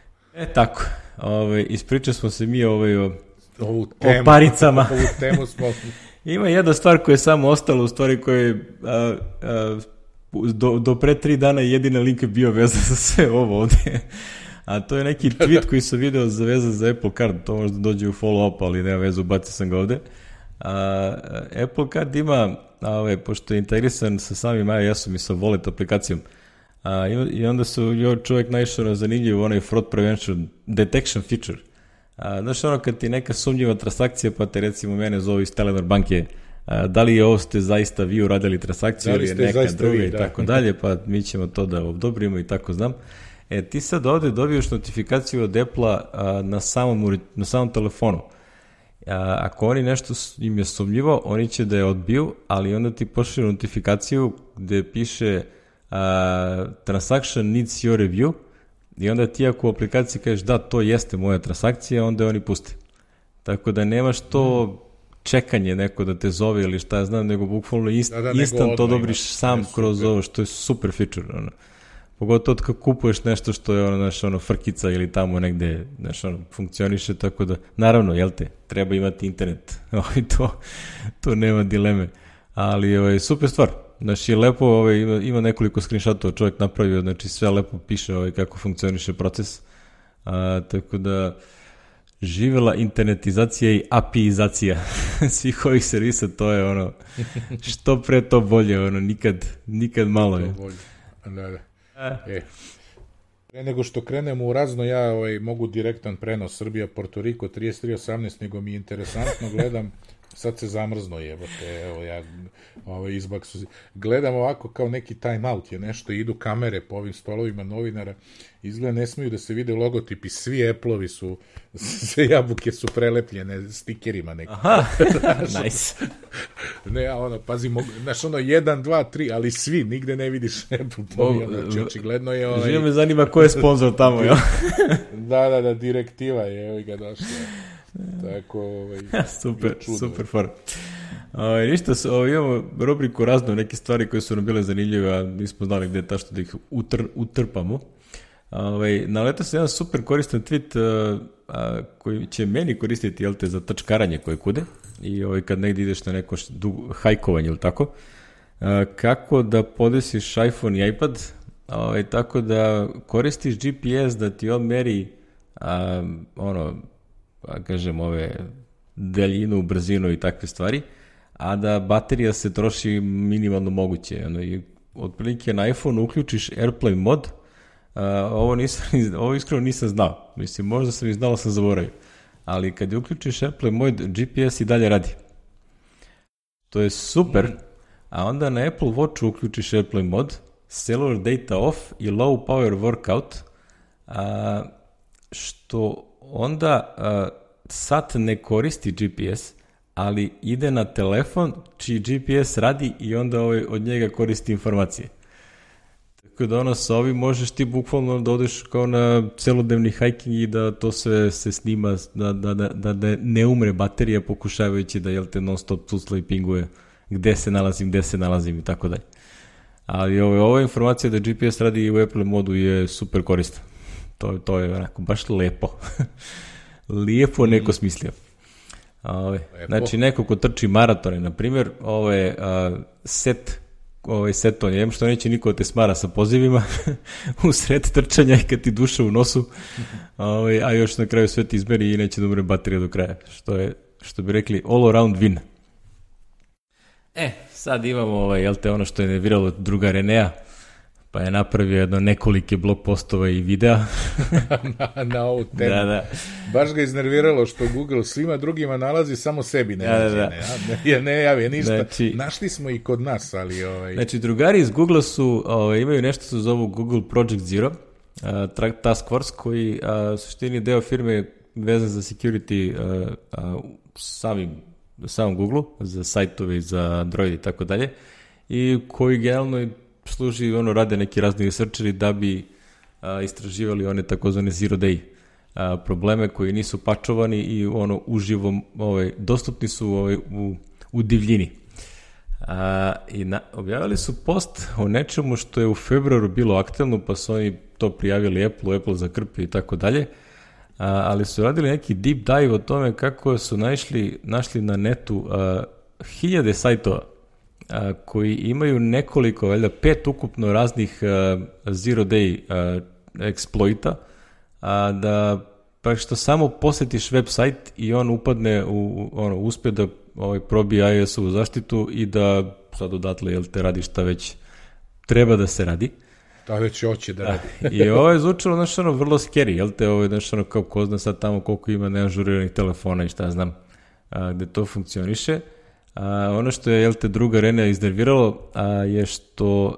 A: Tako, ispričali smo se mi o paricama.
B: Ovu temu smo...
A: Ima jedna stvar koja je samo ostala, u stvari koja je do pre 3 dana jedina link je bio vezan za sve ovo ovde. A to je neki tweet koji sam video vezan za Apple Card, to možda dođe u follow-up, ali nema vezu, bacio sam ga ovde. Apple Card ima, pošto je integrisan sa samim iOS-om i sa Wallet aplikacijom, i onda su čovjek naišao na zanimljiv onaj fraud prevention detection feature. Znaš kad ti neka sumnjiva transakcija, pa te recimo mene zovu iz Telenor banke, da li je ovo ste zaista vi uradili transakciju ili je neka druga i tako dalje, pa mi ćemo to da odobrimo i tako znam. Ti sad ovde dobiješ notifikaciju od Apple-a na samom telefonu. Ako oni nešto im je sumnjivo, oni će da je odbiju, ali onda ti pošalju notifikaciju gde piše transaction needs your review, i onda ti ako u aplikaciji kažeš da, to jeste moja transakcija, onda oni puste. Tako da nemaš to čekanje neko da te zove ili šta ja znam, nego bukvalno instant to dobriš sam kroz ovo, što je super feature. Pogotovo kad kupuješ nešto što je frkica ili tamo negde funkcioniše, tako da, naravno, jel te, treba imati internet, to nema dileme, ali super stvar. Znači, lepo, ima nekoliko screenshotova čovjek napravio, znači sve lepo piše kako funkcioniše proces, tako da živela internetizacija i API-izacija svih ovih servisa, to je što pre to bolje, nikad malo je.
B: Da. Pre nego što krenemo u razno, ja mogu direktan prenos Srbija-Porto Riko 33:18, nego mi je interesantno, gledam, sad se zamrzno jebote, evo ja izbaksu, gledam ovako kao neki time out je nešto, idu kamere po ovim stolovima novinara, izgleda ne smiju da se vide logotipi, svi Apple-ovi su, sve jabuke su prelepljene stikerima nekim.
A: Aha, nice.
B: Ne, pazi, znaš 1, 2, 3, ali svi, nigde ne vidiš Apple, znači očigledno je
A: Živo me zanima ko je sponsor tamo, jel?
B: Da, direktiva je ga došla. Tako,
A: super for. Ništa, imamo rubriku razno, neke stvari koje su nam bile zanimljive, a nismo znali gde je tašto da ih utrpamo. Naletao se jedan super koristan tweet koji će meni koristiti, jel te, za tačkaranje koje kude, i kad negdje ideš na neko hajkovanje ili tako, kako da podesiš iPhone i iPad, tako da koristiš GPS da ti on meri kažem, daljinu, brzinu i takve stvari, a da baterija se troši minimalno moguće. I otprilike na iPhone uključiš AirPlane mod, ovo iskreno nisam znao. Mislim, možda sam i znao, sam zaboravio. Ali kad je uključiš AirPlane mod, GPS i dalje radi. To je super, a onda na Apple Watchu uključiš AirPlane mod, cellular data off i low power workout, što onda sat ne koristi GPS, ali ide na telefon čiji GPS radi i onda od njega koristi informacije. Tako da sa ovim možeš ti bukvalno da odeš kao na celodnevni hiking i da to sve se snima, da ne umre baterija pokušavajući da te non stop tucla i pinguje gde se nalazim i tako dalje. Ali ova informacija da GPS radi u Apple modu je super korisna. To je onako baš lepo. Lijepo neko smislio. Znači, neko ko trči maratone, na primjer, ovo je set on je, što neće niko te smara sa pozivima u sred trčanja i kad ti duša u nosu, a još na kraju sve ti izmeri i neće da umre baterija do kraja, što bi rekli all around win. Sad imamo ono što je nerviralo druga Renea, pa je napravio nekolike blog postova i videa.
B: na ovu temu. Da. Baš ga iznerviralo što Google svima drugima nalazi, samo sebi ne javi ništa. Znači, našli smo i kod nas, ali...
A: Znači, drugari iz Google su, imaju nešto se zovu Google Project Zero, task force, koji u suštini deo firme vezan za security samom Google, za sajtove, za Android i tako dalje, i koji generalno služi, rade neki razni researcheri da bi istraživali one takozvane zero day probleme koji nisu pačovani i uživo dostupni su u divljini. I objavili su post o nečemu što je u februaru bilo aktuelno, pa su oni to prijavili Apple za krpe i tako dalje, ali su radili neki deep dive o tome kako su našli na netu 1000 sajtova koji imaju nekoliko, 5 ukupno raznih zero day eksploita, da pa što samo posetiš website i on upadne uspe da probije iOS-ovu zaštitu i da sad odatle te radi šta već treba da se radi.
B: Da već hoće da radi.
A: I ovo je zvučalo vrlo scary, ovo je kao ko zna sad tamo koliko ima neažuriranih telefona i šta znam gde to funkcioniše. Ono što je druga Renea iznerviralo je što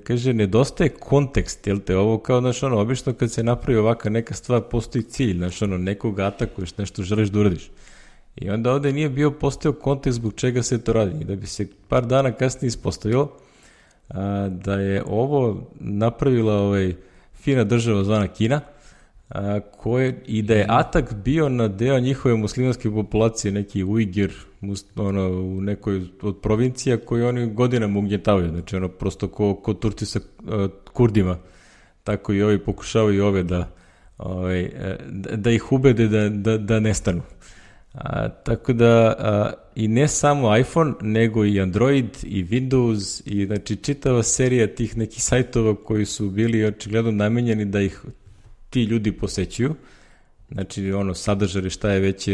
A: kaže, nedostaje kontekst, ovo kao, obično kad se napravi ovaka neka stvar, postoji cilj, nekoga atakuješ, nešto želiš da uradiš. I onda ovde nije bio postojao kontekst zbog čega se to radi. I da bi se par dana kasnije ispostavilo da je ovo napravila fina država zvana Kina, i da je atak bio na deo njihove muslimanske populacije, neki Ujgir u nekoj od provincija koji oni godinama ugnjetavaju, znači prosto ko Turci sa Kurdima, tako i ovi pokušavaju ove da ih ubede da nestanu. Tako da i ne samo iPhone, nego i Android i Windows i znači čitava serija tih nekih sajtova koji su bili očigledno namenjeni da ih ti ljudi posećuju, znači sadržaj šta je već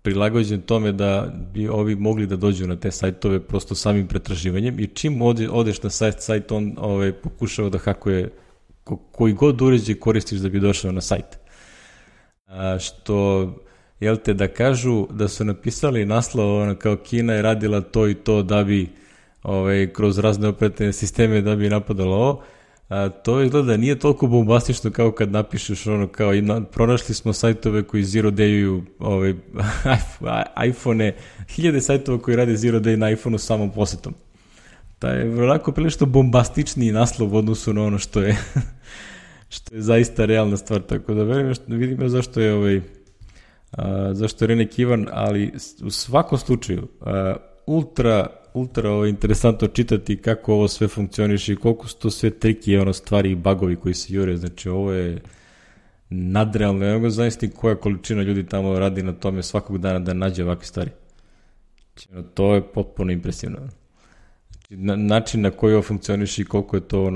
A: prilagođen tome da bi ovi mogli da dođu na te sajtove prosto samim pretraživanjem i čim odeš na sajt on pokušava da hakuje koji god uređaj koristiš da bi došao na sajt. Što, da kažu da su napisali naslov kao Kina je radila to i to da bi kroz razne operativne sisteme da bi napadalo ovo, to izgleda nije toliko bombastično kao kad napišeš kao pronašli smo sajtove koji zero day-uju iPhone-e, 1000 sajtova koji rade zero day na iPhone-u samom posetom. taj je vrlo prilično bombastičniji naslov u odnosu na ono što je zaista realna stvar, tako da vidimo zašto je zašto je Renek Ivan, ali u svakom slučaju ultra interesantno čitati kako ovo sve funkcioniše i koliko su to sve triki, stvari i bagovi koji se jure, znači ovo je nadrealno, ja mogu zavisiti koja količina ljudi tamo radi na tome svakog dana da nađe ovakve stvari. To je potpuno impresivno. Način na koji ovo funkcioniše i koliko je to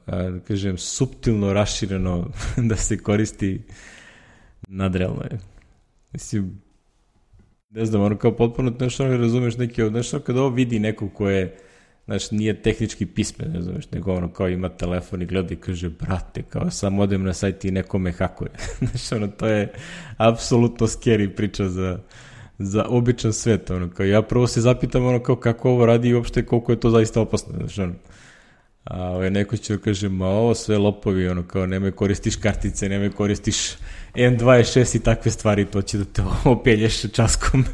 A: da kažem, suptilno rašireno da se koristi, nadrealno je. Mislim, ne znam, kao potpuno ne razumeš neki kada ovo vidi neko ko je, nije tehnički pismen, ne znaš, nego kao ima telefon i gleda i kaže, brate, kao sam odem na sajt i neko me hakuje. To je apsolutno scary priča za običan svet, ono, kao ja prvo se zapitam, ono, kao kako ovo radi i uopšte koliko je to zaista opasno, znači, ono. A neko će kaže, ma ovo sve lopovi, ono, kao nemoj koristiš kartice, nemoj koristiš N26 i takve stvari, to će da te opelješ časkom.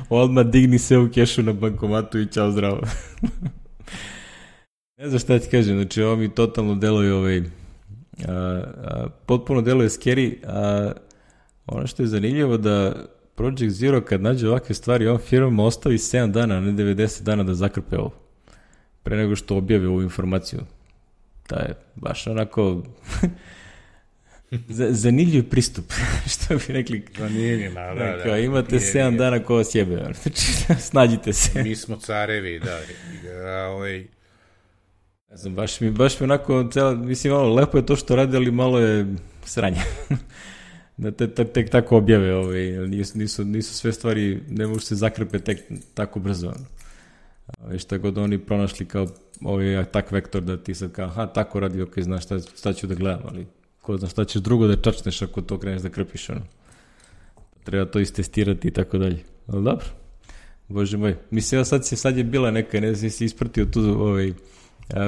A: Odmah digni se u kešu na bankomatu i čao zdravo. Ne znam šta ti kažem, znači ovo mi totalno deluje potpuno deluje scary, a ono što je zanimljivo da Project Zero kad nađe ovakve stvari, on firmama ostavi 7 dana, a ne 90 dana da zakrpe ovo. Pre nego što objave ovu informaciju. Da je baš onako zanimljiv pristup, što bi rekli.
B: Zanimljiv, da.
A: Imate 7 dana ko vas jebe, znači snađite se.
B: Mi smo carevi, da.
A: Ne znam, baš mi onako, mislim, malo lepo je to što radi, ali malo je sranje. Da tek tako objave, nisu sve stvari, ne mogu se zakrpe tek tako brzo. Šta god oni pronašli kao attack vektor da ti sad kao, tako radi, ok, znaš šta ću da gledam, ali ko zna šta ćeš drugo da čačneš ako to kreneš da krpiš, ono. Treba to istestirati i tako dalje. Ali dobro, bože moj. Mislim, sad je bila neka, ne znam si ispratio tu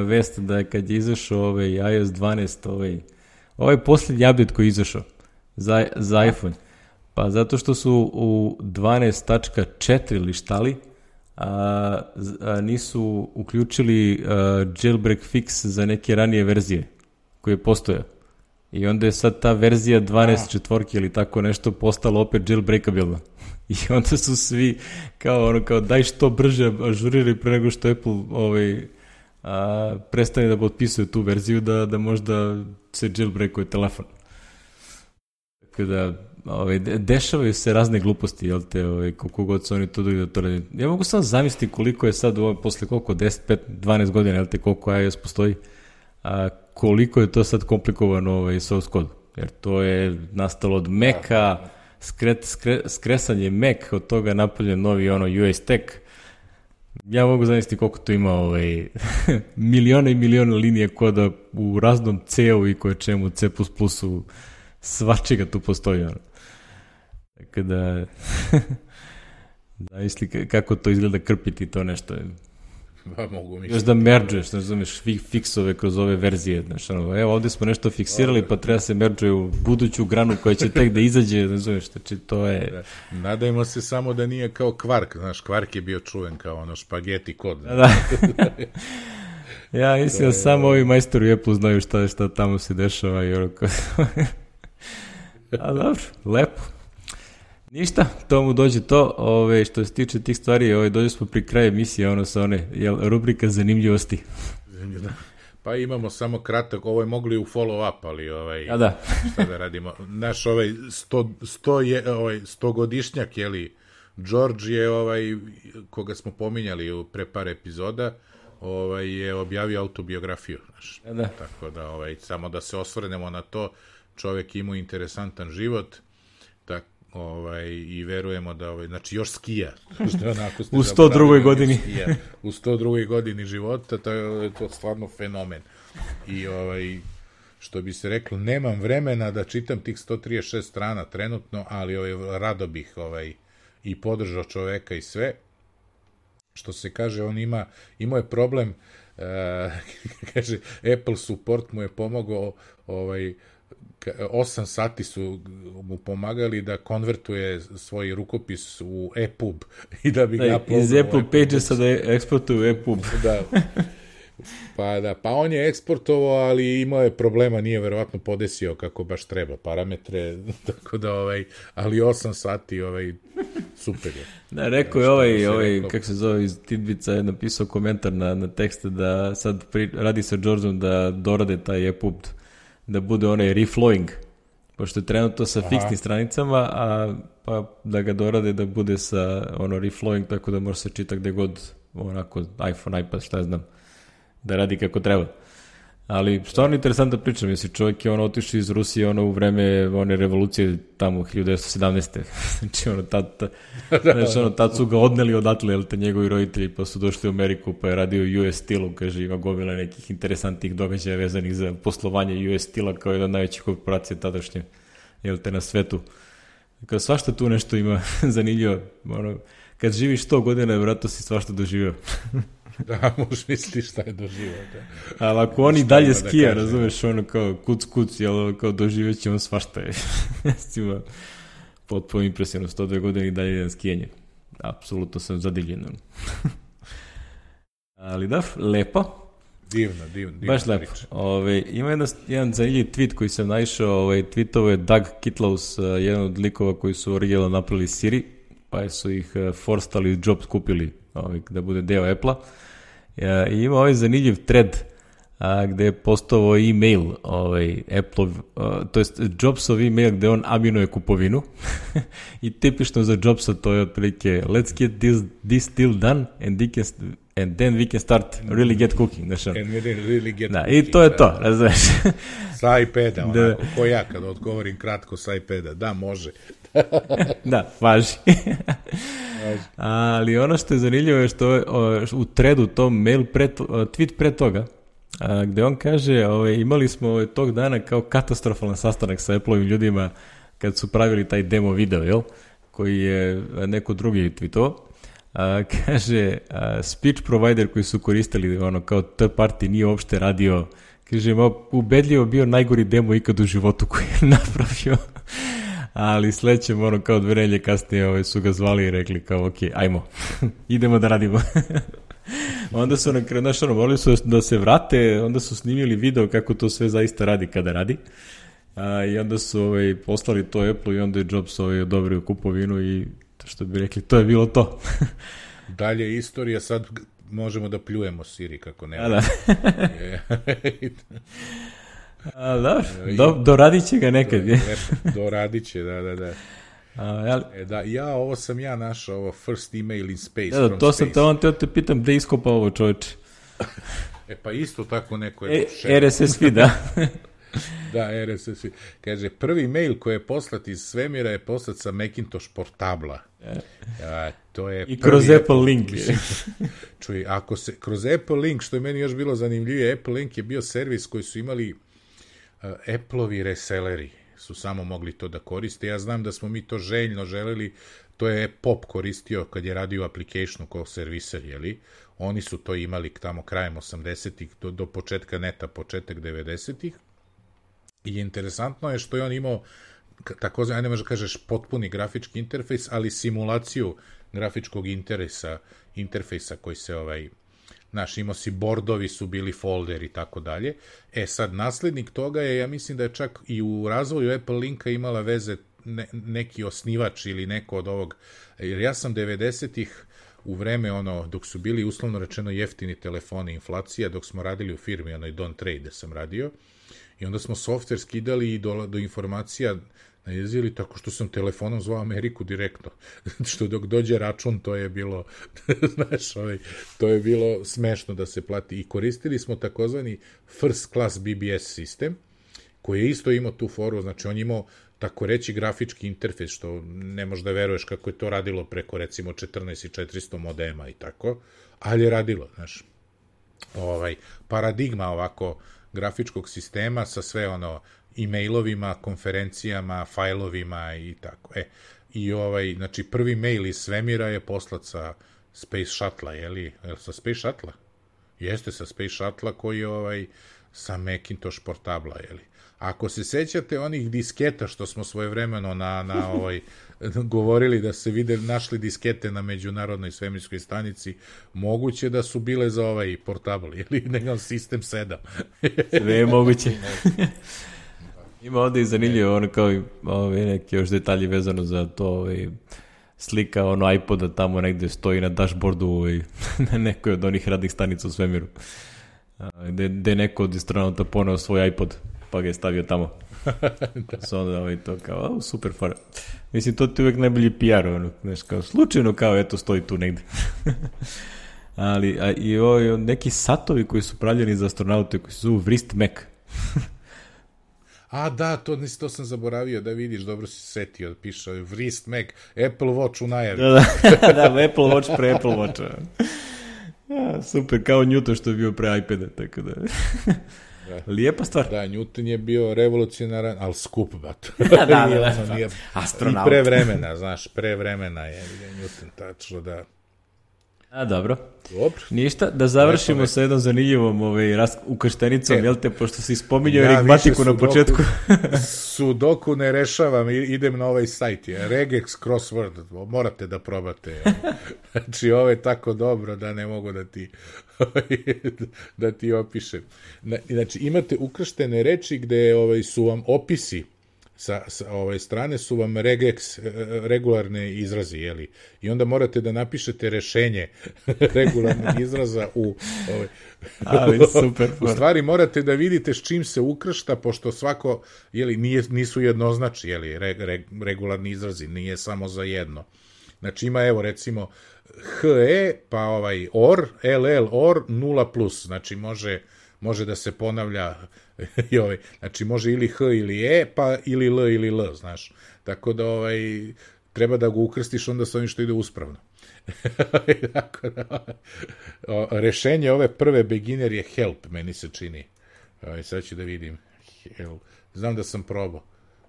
A: vest da kad je izašao iOS 12, ovaj posljednji update koji je izašao za iPhone, pa zato što su u 12.4 lištali, nisu uključili jailbreak fix za neke ranije verzije koje postoje. I onda je sad ta verzija 12.4 ili tako nešto postala opet jailbreakabilna. I onda su svi kao daj što brže ažuriraj pre nego što Apple prestane da potpisuje tu verziju da možda se jailbreakuje telefon. Tako da dešavaju se razne gluposti, jel te, koliko god su oni to da to radi. Ja mogu samo zamisliti koliko je sad posle koliko, 10, 5, 12 godina, jel te, koliko iOS postoji, koliko je to sad komplikovano source code, jer to je nastalo od Maca, skresanje Mac, od toga napravljen novi US Tech. Ja mogu zamisliti koliko to ima milione i milione linije koda u raznom C-u i koje čemu, C++-u, svačega tu postoji, ono. Tako da, zamisli kako to izgleda krpiti to nešto.
B: Mogu misliti.
A: Još da merđuješ, ne znameš, fiksove kroz ove verzije, znaš, evo ovdje smo nešto fiksirali, pa treba se merđuje u buduću granu koja će tek da izađe, ne znameš, znači to je...
B: Nadajmo se samo da nije kao Quark, znaš, Quark je bio čuven kao špageti kod.
A: Da. Ja mislim da samo ovi majstori Apple znaju šta tamo se dešava i orako... A dobro, lepo. Ništa, to mu dođe to, što se tiče tih stvari, dođe smo pri kraju emisije, sa rubrika zanimljivosti.
B: Pa imamo samo kratak, ovo je mogli u follow-up, ali šta da radimo. Naš 100-godišnjak, George je, koga smo pominjali pre par epizoda, je objavio autobiografiju, znaš. Tako da, samo da se osvrnemo na to, čovjek imao interesantan život, i verujemo da, znači još skija.
A: U 102. godini.
B: U 102. godini života, to je to stvarno fenomen. I što bi se reklo, nemam vremena da čitam tih 136 strana trenutno, ali rado bih i podržao čoveka i sve. Što se kaže, on imao je problem, kaže, Apple support mu je pomogao, 8 sati su mu pomagali da konvertuje svoj rukopis u EPUB i da bi ga uploadao.
A: Iz Apple Pagesa da eksportuju EPUB.
B: Da. Pa on je eksportovao, ali imao je problema, nije verovatno podesio kako baš treba parametre, tako da ali 8 sati super je.
A: Da, rekao je kako se zove iz Tidbica, je napisao komentar na tekste da sad radi sa Georgeom da dorade taj EPUB, da bude reflowing, pošto je trenutno sa fiksnim stranicama, pa da ga dorade da bude sa reflowing, tako da može se čita gde god, onako iPhone, iPad, šta ja znam, da radi kako treba. Ali stvarno interesantna priča, mislim, čovjek je otišao iz Rusije u vreme one revolucije tamo 1917. Znači, tad su ga odneli odatle, jel te, njegovi roditelji, pa su došli u Ameriku, pa je radio US Steel-u, kaže, ima gomila nekih interesantnih događaja vezanih za poslovanje US Steel-a kao jedna od najvećih korporacija tadašnje, jel te, na svetu. Kao svašta tu nešto ima zanimljivo. Ono, kad živiš 100 godina, vjerojatno si svašta doživio.
B: Da, možeš misliti šta je doživio. Da.
A: Ali ako oni dalje skija, razumeš, ono kao kuc, jel, kao doživjet će on svašta je. Ima potpuno impresivno, 102 godine i dalje jedan skijanje. Apsolutno sam zadivljen. Ali da, lepo.
B: Divno.
A: Baš lepo. Ima jedan zanimljiv tweet koji sam naišao, tweetovo je Doug Kitlaus, jedan od likova koji su originalno napravili Siri, pa su ih forstali, Jobs kupili da bude deo Apple-a. I ima zanimljiv thread gde je postao e-mail Apple, to jest Jobsov e-mail gde on aminuje kupovinu i tipično za Jobsa to je otprilike let's get this deal done and then we can start really get cooking. I to je to, razumeš.
B: Sa iPada, onako, ko ja kad odgovorim kratko sa iPada, da, može.
A: Da, važi. Ali ono što je zanimljivo je što je u threadu tom mail tweet pre toga, gde on kaže, imali smo tog dana kao katastrofalan sastanak sa Apple-ovim ljudima kad su pravili taj demo video, jel? Koji je neko drugi tweetovao. Kaže, speech provider koji su koristili kao third party nije uopšte radio, kaže, ubedljivo bio najgori demo ikad u životu koji je napravio. Ali sledećem, kao 2 nedelje kasnije su ga zvali i rekli kao, ok, ajmo, idemo da radimo. Onda su na kraju, morali su da se vrate, onda su snimili video kako to sve zaista radi kada radi. I onda su poslali to Apple i onda je Jobs odobrio kupovinu i što bi rekli, to je bilo to.
B: Dalje istorija, sad možemo da pljujemo Siri kako nema.
A: Da, doradit će ga nekad.
B: Doradit će, da. Ovo sam ja našao, ovo first email in space from
A: to
B: space.
A: To sam te pitam, gde iskopa ovo čovječe?
B: Pa isto tako neko je
A: RSS feed, da.
B: Da, RSS feed. Kaže, prvi mail koji je poslat iz svemira je poslat sa Macintosh portabla. To je
A: i kroz Apple link.
B: Čuj, ako se kroz Apple link, što je meni još bilo zanimljivije, Apple link je bio servis koji su imali Apple-ovi reselleri su samo mogli to da koriste. Ja znam da smo mi to željno želeli, to je Pop koristio kad je radio applicationu kao serviser, jeli? Oni su to imali tamo krajem 80-ih do početka neta, početak 90-ih. I interesantno je što je on imao takozvani, ajde možda kažeš potpuni grafički interfejs, ali simulaciju grafičkog interfejsa koji se imao si bordovi su bili folder i tako dalje. Sad, naslednik toga je, ja mislim da je čak i u razvoju Apple Linka imala veze neki osnivač ili neko od ovog, jer ja sam 90-ih u vreme dok su bili uslovno rečeno jeftini telefoni, inflacija, dok smo radili u firmi, Don't Trade, da sam radio, i onda smo software skidali i do informacija najezili tako što sam telefonom zvao Ameriku direktno. Što dok dođe račun, to je bilo, znaš, to je bilo smešno da se plati. I koristili smo takozvani first class BBS sistem, koji je isto imao tu foru, znači on imao tako reći grafički interfejs, što ne možeš da veruješ kako je to radilo preko recimo 14400 modema i tako, ali je radilo, znaš. Paradigma ovako grafičkog sistema sa sve e-mailovima, konferencijama, fajlovima i tako. Znači prvi mail iz svemira je poslat sa Space Shuttle-a, jeli? Sa Space Shuttle-a? Jeste, sa Space Shuttle-a koji je sa Macintosh portabla, jeli? Ako se sećate onih disketa što smo svojevremeno govorili da se našli diskete na međunarodnoj svemirskoj stanici, moguće da su bile za portabl, ili nekam sistem 7.
A: Sve je moguće. Ima ovde i zanimljivo, kao neki još detalji vezano za to, slika iPoda tamo negde stoji na dashboardu na nekoj od onih radnih stanica u svemiru. Gde neko od astronauta poneo svoj iPod, pa ga je stavio tamo. Da. Onda to kao, super fora. Mislim, to ti uvek najbolji PR, slučajno kao, eto, stoji tu negde. Ali, i neki satovi koji su pravljeni za astronaute, koji se zovu Wrist Mac.
B: Da, to sam zaboravio da vidiš, dobro si setio, piše Wrist Mac, Apple Watch u najavi.
A: Da, Apple Watch pre Apple Watcha. Super, kao Newton što je bio pre iPada, tako da. Lijepa stvar.
B: Da, Newton je bio revolucionaran, ali skup, bat.
A: Da. Astronaut.
B: I pre vremena, znaš, pre vremena je Newton, tačno da...
A: A, dobro.
B: Dobro.
A: Ništa, da završimo sa jednom zanimljivom ukrštenicom, jel te, pošto si spominjao enigmatiku na početku.
B: Sudoku ne rešavam, idem na ovaj sajt, Regex Crossword, morate da probate. Znači, ovo je tako dobro da ne mogu da ti opišem. Znači, imate ukrštene reči gde su vam opisi, sa strane su vam regex, regularne izrazi, jeli? I onda morate da napišete rešenje regularnih izraza
A: Ali super.
B: U stvari morate da vidite s čim se ukršta, pošto svako, jeli, nisu jednoznačni, jeli, regularni izrazi, nije samo za jedno. Znači ima, evo, recimo, HE, pa OR, LL, OR, 0+, znači može da se ponavlja znači može ili H ili E, pa ili L ili L, znaš. Tako da treba da ga ukrstiš onda sa ovim što ide uspravno. Rešenje ove prve beginner je help, meni se čini. Sad ću da vidim. Help. Znam da sam probao.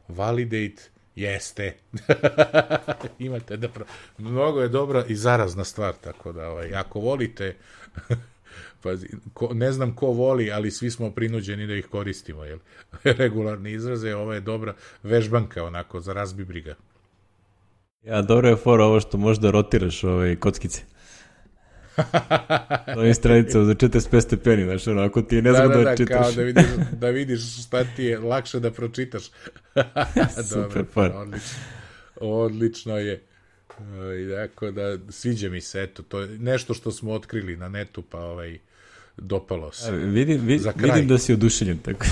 B: Validate, jeste. Imate da mnogo je dobra i zarazna stvar, tako da ako volite... Pazi, ne znam ko voli, ali svi smo prinuđeni da ih koristimo, jel? Regularne izraze, ovo je dobra vežbanka, onako, za razbi briga.
A: Ja, dobro je fora ovo što možda rotiraš kockice. To je stranica za 45 stepeni, znaš, ako ti je nezgodno da čitaš.
B: Kao da vidiš šta ti je lakše da pročitaš.
A: Super fora.
B: Odlično je. Tako da, sviđa mi se, eto, to je nešto što smo otkrili na netu, pa dopalo se.
A: Vidim da si oduševljen, tako.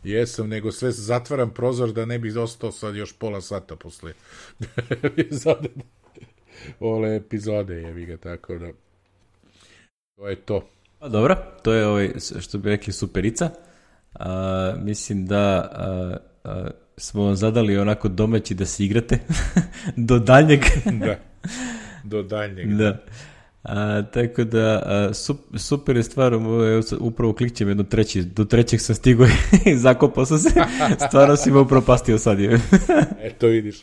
B: Jesam, nego sve zatvaram prozor da ne bi ostao sad još pola sata posle ove epizode, jebi ga, tako da to je to.
A: Pa dobro, to je što bi rekli superica. Mislim da smo vam zadali onako domaći da se igrate do daljnjeg.
B: Da, do daljnjeg.
A: Da. Tako da, super je stvar, upravo klikćem jedno do trećeg sam stigao i zakopao sam se, stvarno si me upropastio sad.
B: Eto vidiš.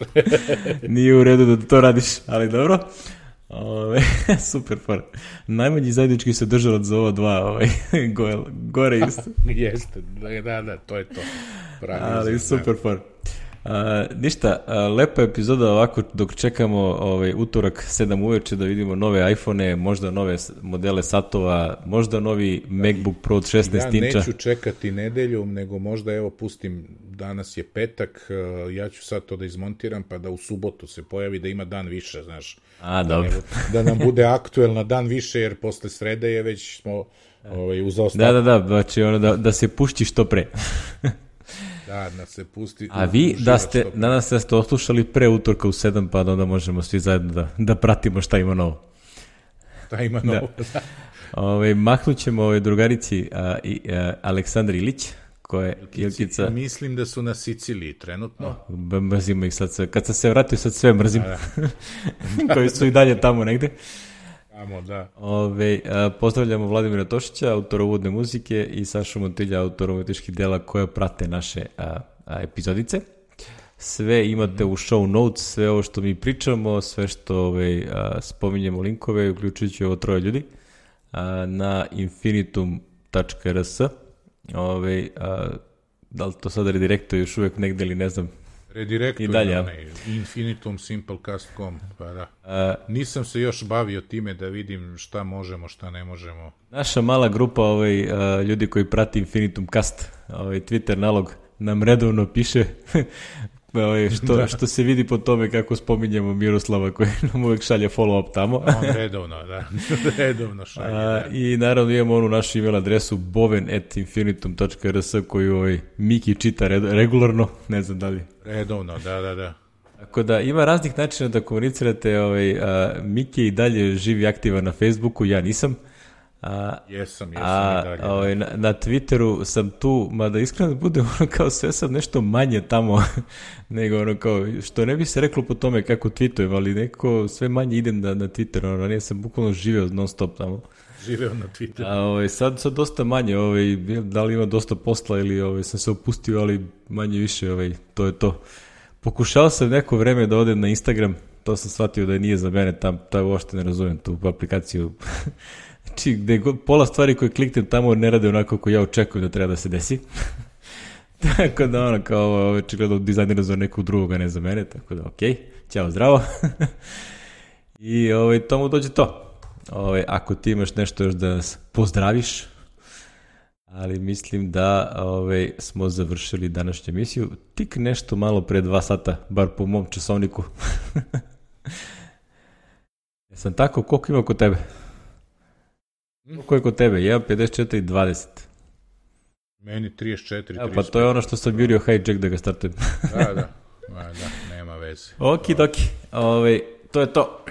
A: Nije u redu da to radiš, ali dobro. Super fora. Najmanji zajednički se držalac za ova dva gore isto.
B: Jeste, da, to je to.
A: Ali super fora. Ništa, lepa epizoda ovako dok čekamo utorak 7 uveče da vidimo nove iPhone, možda nove modele satova, možda novi MacBook Pro od 16 inča.
B: Ja neću čekati nedeljom, nego možda evo pustim, danas je petak, ja ću sad to da izmontiram pa da u subotu se pojavi da ima dan više, znaš.
A: Dobro.
B: Da nam bude aktuelna dan više, jer posle srede je već smo u zaostatku.
A: Da, znači da se pušti što pre.
B: Da se pusti.
A: A vi nadam se da ste oslušali pre utorka u 7, pa onda možemo svi zajedno da pratimo šta ima novo.
B: Šta ima novo,
A: da. Mahnut ćemo drugarici Aleksandri Ilić, koja je Ilkica.
B: Mislim da su na Siciliji trenutno.
A: Mrzimo ih sad sve. Kad sam se vratio sad sve mrzim. Koji su i dalje tamo negde.
B: Da.
A: Pozdravljamo Vladimira Tošića, autora uvodne muzike, i Sašu Montilja, autora umetničkih dela koja prate naše epizodice. Sve imate u show notes, sve ovo što mi pričamo, sve što spominjemo linkove, uključujući ovo 3 ljudi, na infinitum.rs. Da li to sad redirekto još uvek negde ili ne znam.
B: Redirektor i dalje, Infinitum Simplecast.com, pa da. Nisam se još bavio time da vidim šta možemo, šta ne možemo.
A: Naša mala grupa ljudi koji prati Infinitum Cast, Twitter nalog nam redovno piše što se vidi po tome kako spominjemo Miroslava koji nam uvek šalje follow-up tamo.
B: On redovno šalje.
A: I naravno imamo onu našu email adresu boven@infinitum.rs koju Miki čita regularno, ne znam da li.
B: Redovno, da.
A: Tako da ima raznih načina da komunicirate. Miki i dalje živi aktivan na Facebooku, ja nisam.
B: Jesam i dalje.
A: Na Twitteru sam tu, mada iskreno budem kao sve sam nešto manje tamo nego kao, što ne bi se reklo po tome kako tweetujem, ali nekako sve manje idem na Twitter, ranije sam bukvalno živeo non stop tamo.
B: živeo na Twitteru.
A: A sad dosta manje, da li ima dosta posla ili sam se opustio, ali manje više, to je to. Pokušao sam neko vreme da odem na Instagram, to sam shvatio da nije za mene, taj uopšte ne razumem tu aplikaciju. Znači, gde pola stvari koje kliknem tamo ne rade onako kako ja očekujem da treba da se desi. Tako da kao očigledno dizajnira za nekog drugog, a ne za mene, tako da okej, ćao, zdravo. I tomu dođe to. Ako ti imaš nešto još da nas pozdraviš, ali mislim da smo završili današnju emisiju. Tik nešto malo pre 2 sata, bar po mom časovniku. Jesam tako? Koliko ima kod tebe? Koliko je kod tebe? 1.54.20.
B: Meni 34.
A: Pa to je ono što sam jurio hijack da ga startujem.
B: Da, nema veze.
A: Okidoki. To je to.